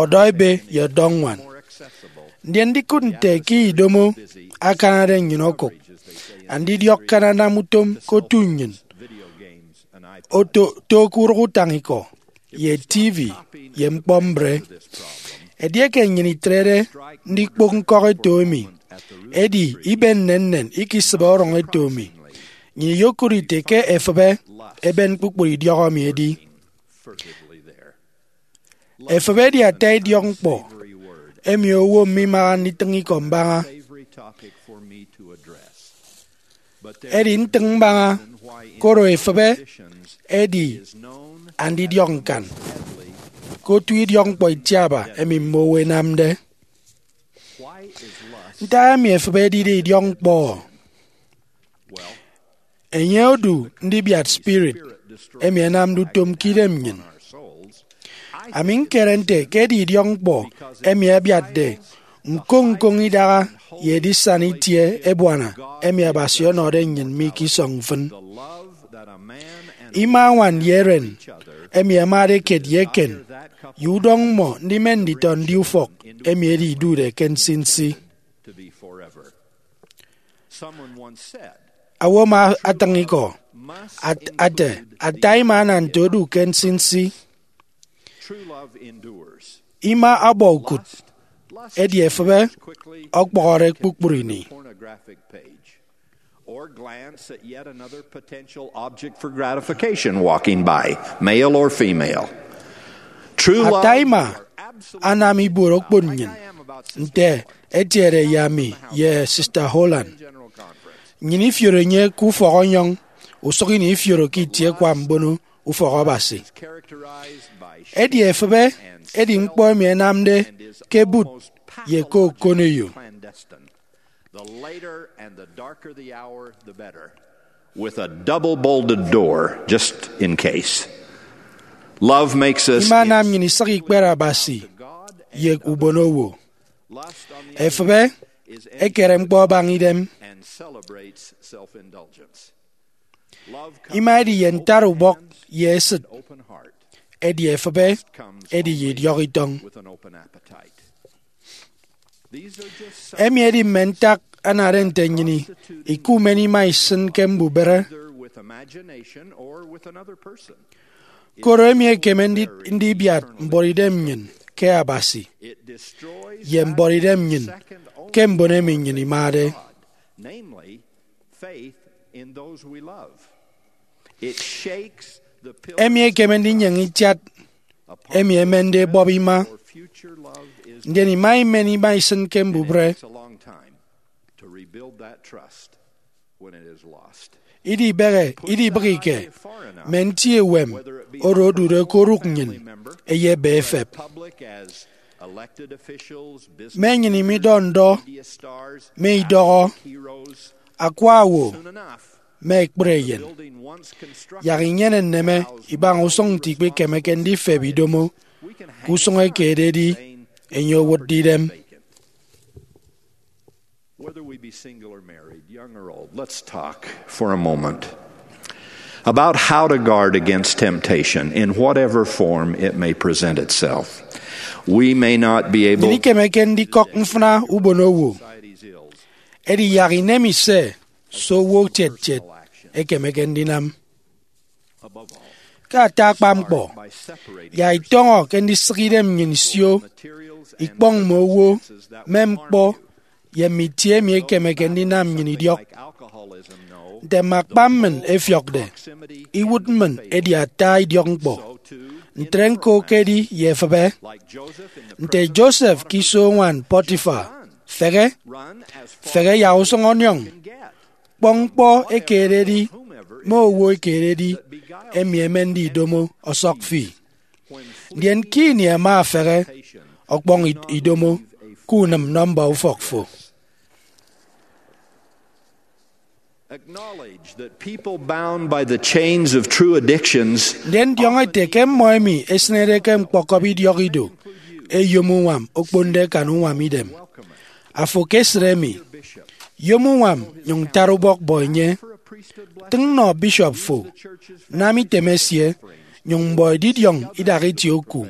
ọdọ ebe ye ọdọ ñwan. Ndien ndikụt nte ke idomo akanade nnyịn okụk andidiọk ke anam utom ke otu nnyịn oto to ke urụk utañikọ ye T V ye ñkpọ mbre. Edieke nnyịn itrede ndikpok ñkọk eto emi, edi ibe nnennen ikisịbe ọrọñ eto emi, nnyịn iyokụt ite ke efịbe eben kpukpru idiọk emi edi. Efịbe edi ata idiọkñkpọ emi owo mimaha nditịñ ikọ mbaña. Edi ntịñ mbaña, koro efịbe edi andidiọk ñkan ke otu idiọkñkpọ itiaba emi mme owo ẹnamde. Ntak emi efịbe edide idiọkñkpọ? Enye odu ndibiat spirit emi ẹnamde utom ke idem nnyịn. Ami ñkere nte ke edi idiọkñkpọ emi abiatde ñkoñ ñkoñ idaha ye edisana itie ebuana emi Abasi ọnọde nnyịn mi ke isọñ mfịn. Ima añwan ye eren emi ẹmade kiet ye eken ye udọñ mmọ ndimen nditọ ndi ufọk emi edi idude ke nsinsi. Owo ama atịñ ikọ at- ate, ata ima ana nte odu ke nsinsi. Ima ọbọ ukụt, edi efịbe ọkpọhọre kpukpru ini. Or glance at yet another potential object for gratification walking by, male or female. True love. Ata ima anam ibuot okpon nnyịn, nte etiede ye ami ye Sister Holland. Nnyịn ifioro enye ke ufọk ọnyọñ, usụk ini ifioro ke itie ẹkwa mbono ufọk Abasi. Edi efịbe edi ñkpọ emi ẹnamde ke bụt ye ke okoneyo. The later and the darker the hour, the better. With a double bolted door, just in case. Love makes us. Ima anam nnyịn isịk ikpere Abasi ye ubonowo. Efịbe ekere ñkpọ abaña idem. And celebrates self-indulgence. Ima edi ye ntaat ubọk ye esịt. Edi efịbe edi ye idiọk itọñ. Emi edi mme ntak anade nte nnyịn ikumen ima isịn ke mbubịre. Koro emi ekeme ndi- ndibiat mbuọtidem nnyịn ke Abasi ye mbuọtidem nnyịn ke mbon emi nnyịn imade. Emi ekeme ndinyeñe itiat emi emende ebọp ima, ndien ima imen ima isịn ke mbubịre. Idibehe idibịghike mme nti uwem oro odude ke orụk nnyịn eyebe efep. Me enyịn imidọ ndọ, me idọhọ, akwa owo, me ekpri eyen. Yak inyene nneme ibaña usụñ nte ikpikemeke ndifep idomo ke usụñ eke ededi enye owụtde idem. Whether we be single or married, young or old, let's talk for a moment about how to guard against temptation in whatever form it may present itself. We may not be able. Nnyịn ikemeke ndikọk mfịna ubonowo, edi yak inemi se se owo kiet kiet ekemeke ndinam. Ke ata akpa ñkpọ, yak itọñọ ke ndisịk idem nnyịn isio ikpọñ mme owo, mme ñkpọ, ye mme itie emi ekemeke ndinam nnyịn idiọk. Nte mme akpa mmịn ẹfiọkde, iwụt mmịn edi ata idiọkñkpọ. Ntre ñko ke edi ye efịbe. Nte Joseph ke iso uñwan Potiphar, fehe, fehe yak usụñ ọniọñ, kpọñ ñkpọ ekededi mme owo ekededi emi ẹmende idomo ọsọk fi. Ndien ke ini ẹma ẹfehe, ọkpọñ i- idomo ke unịm nọmba ufọk fo. Acknowledge that people bound by the chains of true addictions Ndien diọñọ ete ke mmọ emi ẹsịnede ke ñkpọkọbi idiọk ido ẹyom uñwam okponde akan uñwam idem. Afo ke esịt emi, yom uñwam nyụñ tara ubọk bọ enye. Tịñ nọ bishop fo, nam item esie, nyụñ mbọ edidiọñ idak itie oku.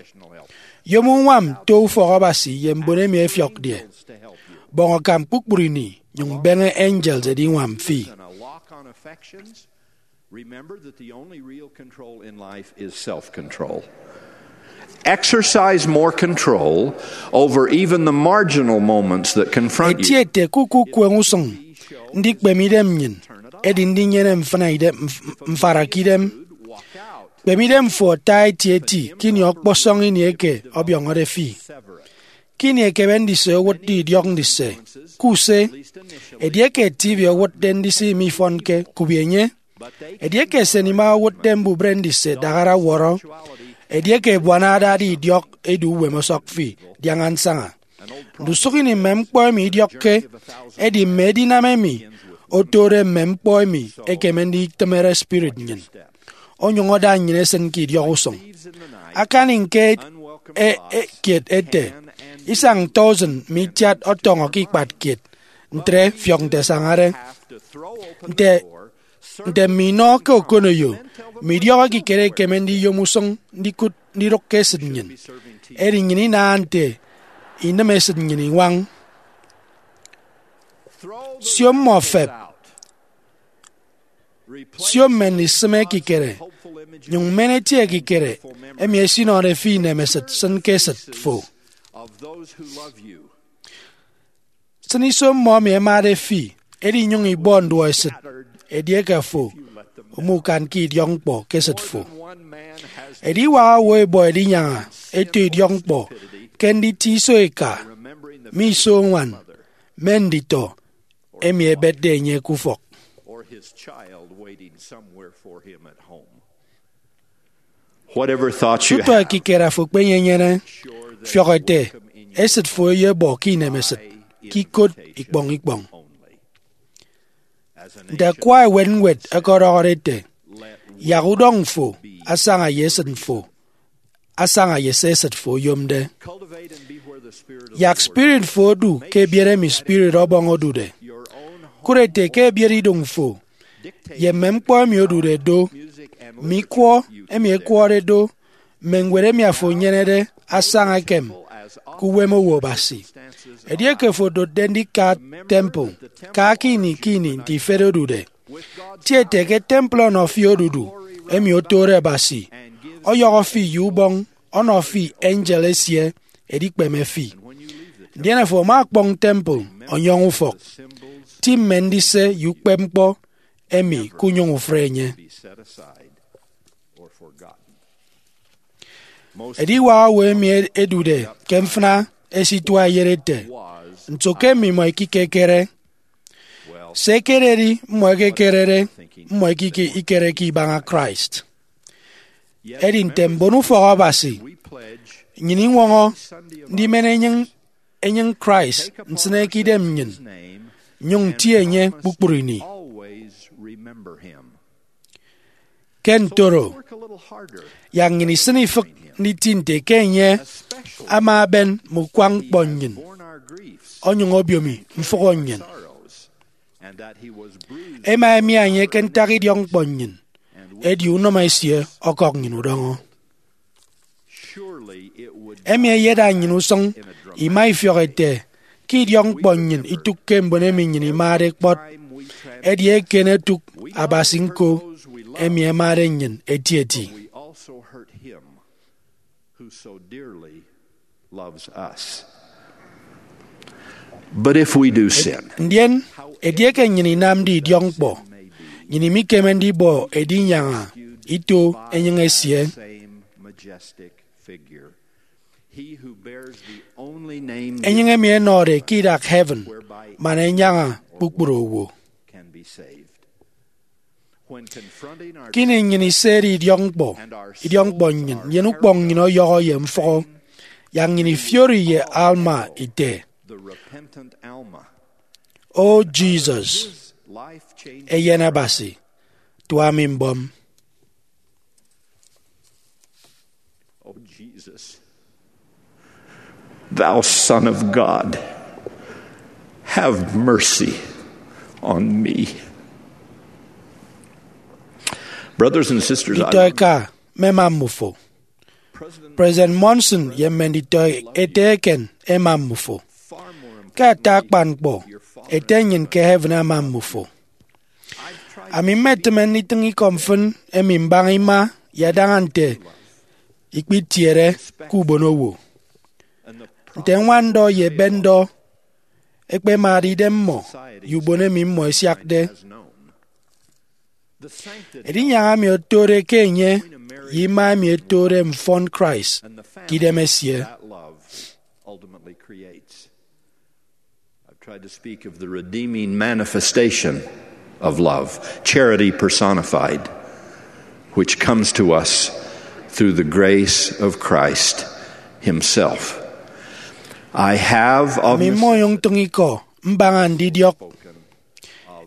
Yom uñwam to ufọk Abasi ye mbon emi ẹfiọkde. Bọñ akam kpukpru ini, nyụñ beñe angels ẹdiñwam fi. Remember that the only real control in life is self control. Exercise more control over even the marginal moments that confront you. Etiete ke ukukueñ usụñ ndikpeme idem nnyịn edi ndinyene mfịna idem, mf- mfarakidem. Kpeme idem fo ata etieti ke ini ọkpọsọñ ini eke ọbiọñọde fi. Ke ini ekebe ndise owụtde idiọk ndise, ke use, edieke T V owụtde ndise imifọnke, kubi enye. Edieke esenima owụtde mbubịre ndise, daghara wọrọ. Edieke ebuana adade idiọk edu uwem ọsọk fi, diaña nsaña. Ndusụk ini mme ñkpọ emi idiọkke ẹdi mme edinam emi otode mme ñkpọ emi ekeme nditịmere spirit nnyịn, onyụñ ada nnyịn esịn ke idiọk usụñ. Akani ñke e- e- kiet ete, isañ tọusịn mme itiat ọtọñọ ke ikpat kiet, ntre fiọk nte ẹsañade. Nte nte mme inọ ke okoneyo, mme idiọk ekikere ekeme ndiyom usụñ ndikụt ndidụk ke esịt nnyịn. Edi nnyịn inaha nte inịm esịt nnyịn iñwañ. Sio mmọ fep. Sio mme ndisịm ekikere, nyụñ men eti ekikere emi esinọde fi inemesịt sịn ke esịt fo. Sịn iso mmọ emi ẹmade fi, edi nyụñ ibọ nduọesịt edieke afo umukanke idiọkñkpọ ke esịt fo. Ediwak owo ẹbọ ẹdinyaña eto idiọkñkpọ ke nditie iso eka, mme iso uñwan, mme nditọ emi ẹbetde enye ke ufọk. Whatever thoughts you Tutọ have, ekikere afo ekpenyenyene, fiọk ete esịt fo eyebọ ke inemesịt, ke ikot ikpọñ ikpọñ. Nte akwa ewe ñwed ọkọdọhọde ete, yak udọñ fo asaña ye esịt fo, asaña ye se esịt fo oyomde. Yak spirit fo odu ke ebiet emi Spirit Ọbọñ odude. Kụt ete ke ebiet idụñ fo ye mme ñkpọ emi odude do, mme ikwọ emi ekwọde do, mme ñwed emi afo enyenede asaña ekem ke uwem owo Abasi. Edieke fo odotde ndika temple, ka ke ini ke ini nte ifet odude. Tie ete ke temple ọnọ fi odudu emi otode Abasi, ọyọhọ fi ye ubọñ, ọnọ fi angel esie edikpeme fi. Ndien afo ama ọkpọñ temple ọnyọñ ufọk, ti mme ndise ye ukpepñkpọ emi kunyụñ ufre enye. Ediwak owo emi edude ke mfịna esitua eyet ete, nso ke mmimọ ikekekere? Se ekededi mmọ ekekerede, mmọ ikike ikereke ibaña Christ. Edi nte mbon ufọk Abasi, nnyịn iñwọñọ ndimen enyịñ enyịñ Christ nsịne ke idem nnyịn, nyụñ nti enye kpukpru ini. Ke ntoro, yak nnyịn isịn ifịk nditi nte ke enye ama eben mme ukwañ ñkpọ nnyịn, onyụñ obiomi mfụhọ nnyịn. Ema emi enye ke ntak idiọk ñkpọ nnyịn, edi unọmọ esie ọkọk nnyịn udọñọ. Emi eyeda nnyịn usụñ ima ifiọk ete ke idiọk ñkpọ nnyịn itụkke mbon emi nnyịn imade kpọt, edi eken etụk Abasi ñko emi ẹmade nnyịn etieti. so dearly loves us. But if we do sin, Ndien, edieke nnyịn inamde idiọkñkpọ, nnyịn imikeme ndibọ edinyaña ito enyịñ esie. Same majestic figure. He who bears the only name Enyịñ emi ẹnọde ke idak heaven, man ẹnyaña kpukpru owo. Can be saved. When confronting our Kini nnyịn iseri idiọkñkpọ, idiọkñkpọ nnyịn, nnyịn ukpọñ nnyịn ọyọhọ ye mfụhọ, yak nnyịn ifiori ye Alma ite, the repentant Alma, O Jesus, life changed. Eyen Abasi, tua mi mbọm. O Jesus, thou Son of God, have mercy on me. Brothers and sisters, I Nditọ eka, mmema mmufo. President Monson ye mme nditọ ete eken ema mmufo. Ke ata akpan ñkpọ, Ete nnyịn ke heaven ama mmufo. Ami mmetịme nditịñ ikọ mfịn emi mbaña ima ye adaña nte ikpitiere ke ubonowo. Nte ñwanndọ ye ebetndọ ẹkpemade idem mmọ ye ubon emi mmọ ẹsiakde. Edinyaña emi otode ke enye ye ima emi etode mfọn Christ ke idem esie. I've tried to speak of the redeeming manifestation of love, charity personified, which comes to us through the grace of Christ Himself. I have of Ami mmọnyụñ ntịñ ikọ mbaña ndidiọk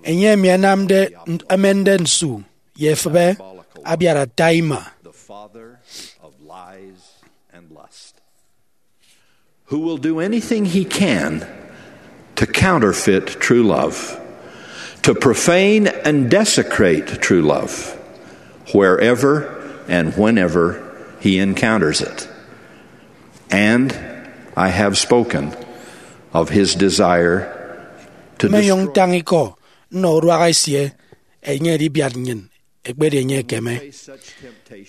enye emi ẹnamde, ẹmende nsu ye efịbe abiat ata ima. The father of lies and lust, who will do anything he can to counterfeit true love, to profane and desecrate true love, wherever and whenever he encounters it. And I have spoken of his desire to Mmenyụñ destroy ntañ ikọ nnọ uduak esie, enye edibiat nnyịn ekpedi enye ekeme.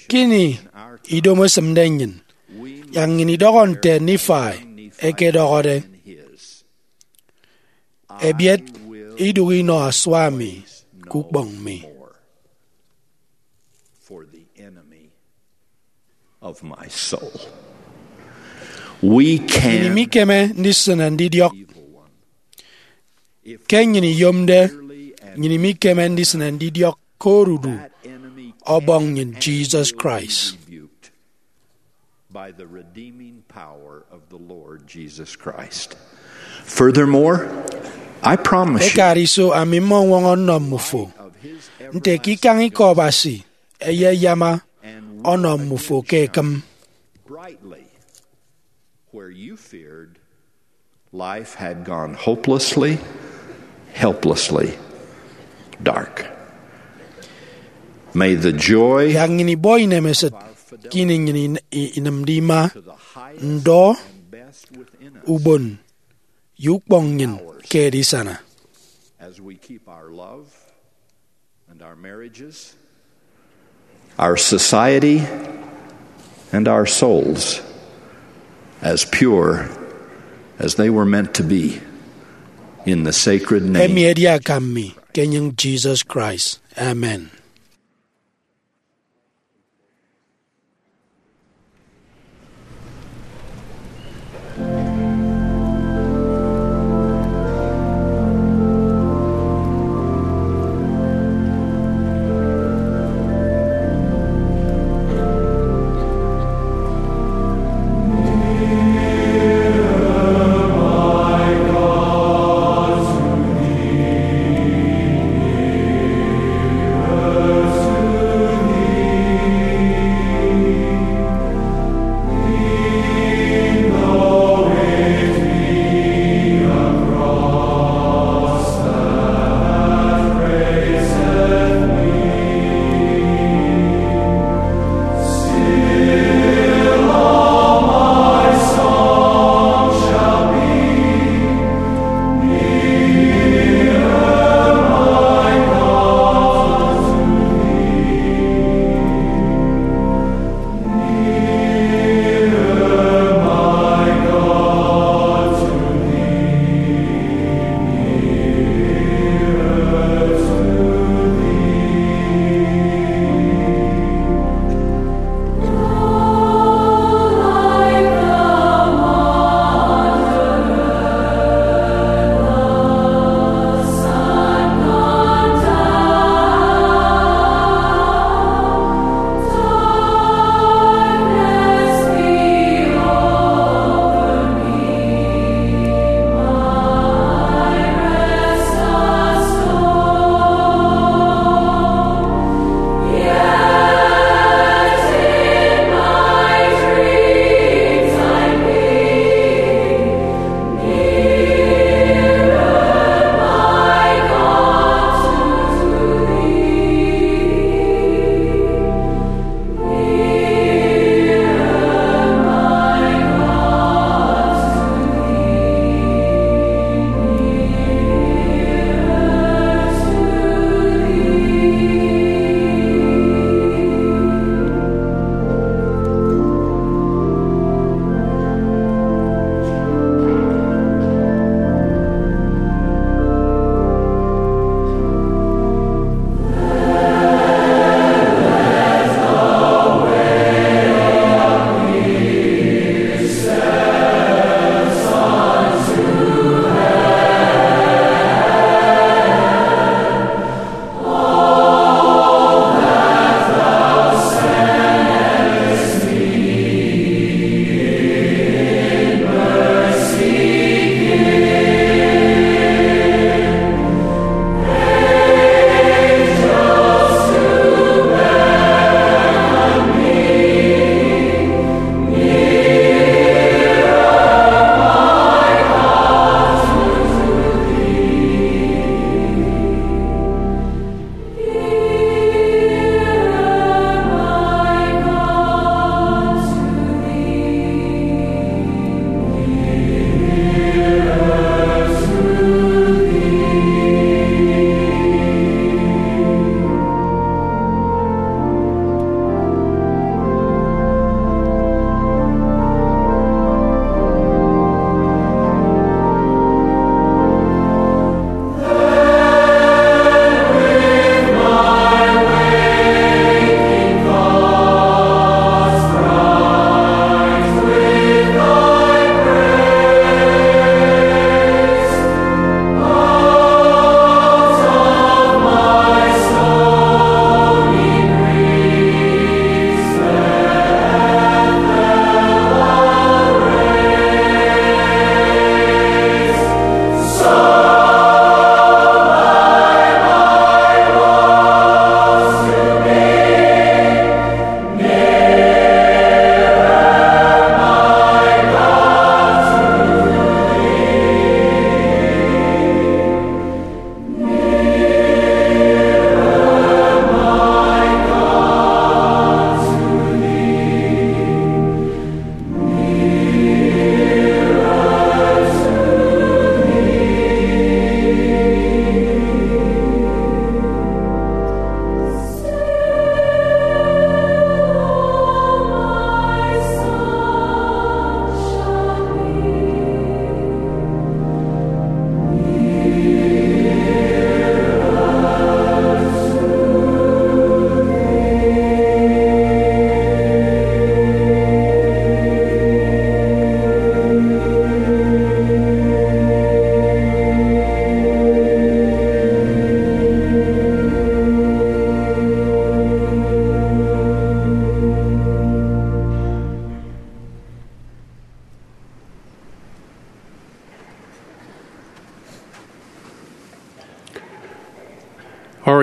Kini idomo esịmde nnyịn, yak nnyịn idọhọ nte Nifai ekedọhọde, Ebiet idụhe inọ asua mi ke ukpọñ mi. For the enemy of my soul. We Nnyịn can imikeme ndisịne ndidiọk. Ke nnyịn iyomde, nnyịn imikeme ndisịne ndidiọk ke odudu Ọbọñ nnyịn Jesus Christ. By the redeeming power of the Lord Jesus Christ. Furthermore, I promise you, Ekariso, ami mmọñwọñọ nnọ mmufo nte ke ikañ ikọ Abasi eyeyama ọnọ mmufo ke ekịm. Brightly where you feared life had gone hopelessly, helplessly dark. May the joy Yak nnyịn ibọ inemesịt ke ini nnyịn in- i- inịmde ima, ndọ, ubon, ye ukpọñ nnyịn ke edisana. As we keep our love and our marriages, our society, and our souls as pure as they were meant to be in the sacred name. Emi edi akam mi ke enyịñ Jesus Christ. Amen.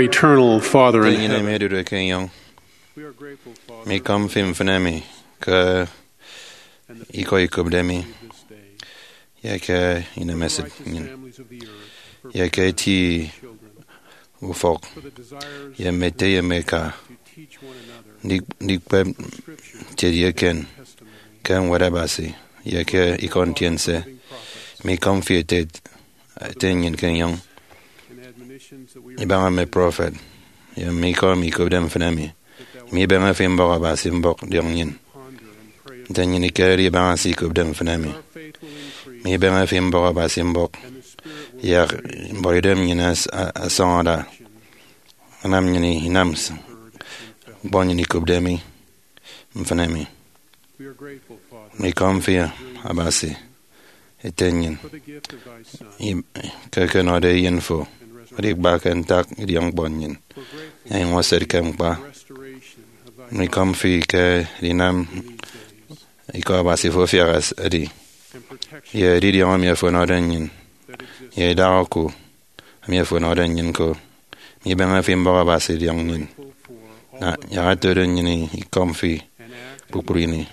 Eternal Father in Nte nnyịn emi heaven, odude ke enyọñ, we are grateful, Father, mi ikọm fi mfịn emi ke ikọ ikopde mi, ye ke inemesịt nnyịn, ye ke eti ufọk, ye mme ete ye mme eka, ndi- ndikpep ntiede eken ke Ñwed Abasi ye ke ikọ ntiense. Mi ikọm fi ete, ete nnyịn ke enyọñ, ibaña mme prọfet, ye mme ikọ emi ikopde mfịn emi. Mi ibeñe fi mbọk Abasi mbọk diọñ nnyịn. Nte nnyịn ikerede ibaña se ikopde mfịn emi, mi ibeñe fi mbọk Abasi mbọk, yak mbuọtidem nnyịn as- a- asọñ ada, anam nnyịn inam s- ñkpọ nnyịn ikopde mi mfịn emi. Mi ikọm fi Abasi, ete nnyịn, im- ke ekenọde eyen fo, edi kpa ke ntak idiọkñkpọ nnyịn, enyụñ eset ke mkpa. Mi ikọm fi ke edinam ikọ Abasi fo afiak edi, ye edidiọñ emi ofo ọnọde nnyịn, ye idak oku emi ofo ọnọde nnyịn ko. Mi ibeñe fi mbọk Abasi diọñ nnyịn, na yak ẹtode nnyịn ikọm fi kpukpru ini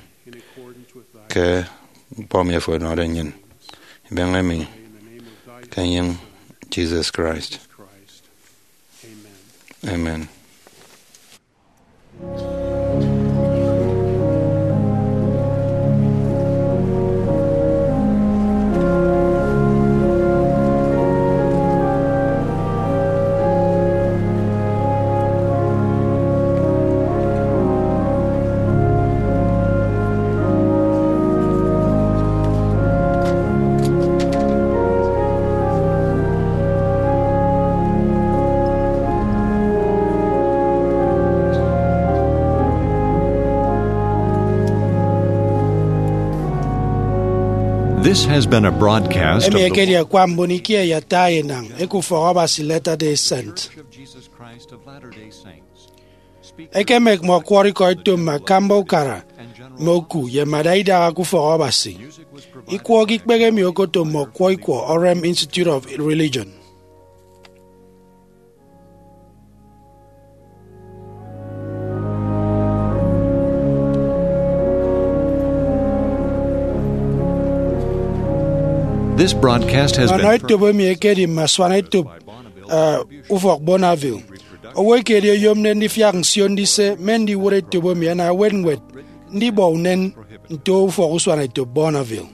ke ñkpọ emi ofo ọnọde nnyịn. Ibeñe mi ke enyịñ Jesus Christ. Amen. This has been a broadcast of Emi the ekedi akwa mbon ikie ye ata enañ eke ufọk Abasi Latter-day Saint. Church of Jesus Christ of Latter-day Saints. Ekemek mme ọkwọrọ ikọ eto mme akamba ukara mme oku ye mme ada idaha ke ufọk Abasi. Ikwọ ke ikpehe emi okoto mme ọkwọ ikwọ Orem Institute of Religion. This broadcast has Ọnọ been etop emi ekedi mme asuan etop, eh, ufọk Bonneville. Owo ekedi oyomde ndifiak nsio ndise mme ndiwụt etop emi ana ewet ñwed ndibọ unen nto ufọk usuanetop Bonneville.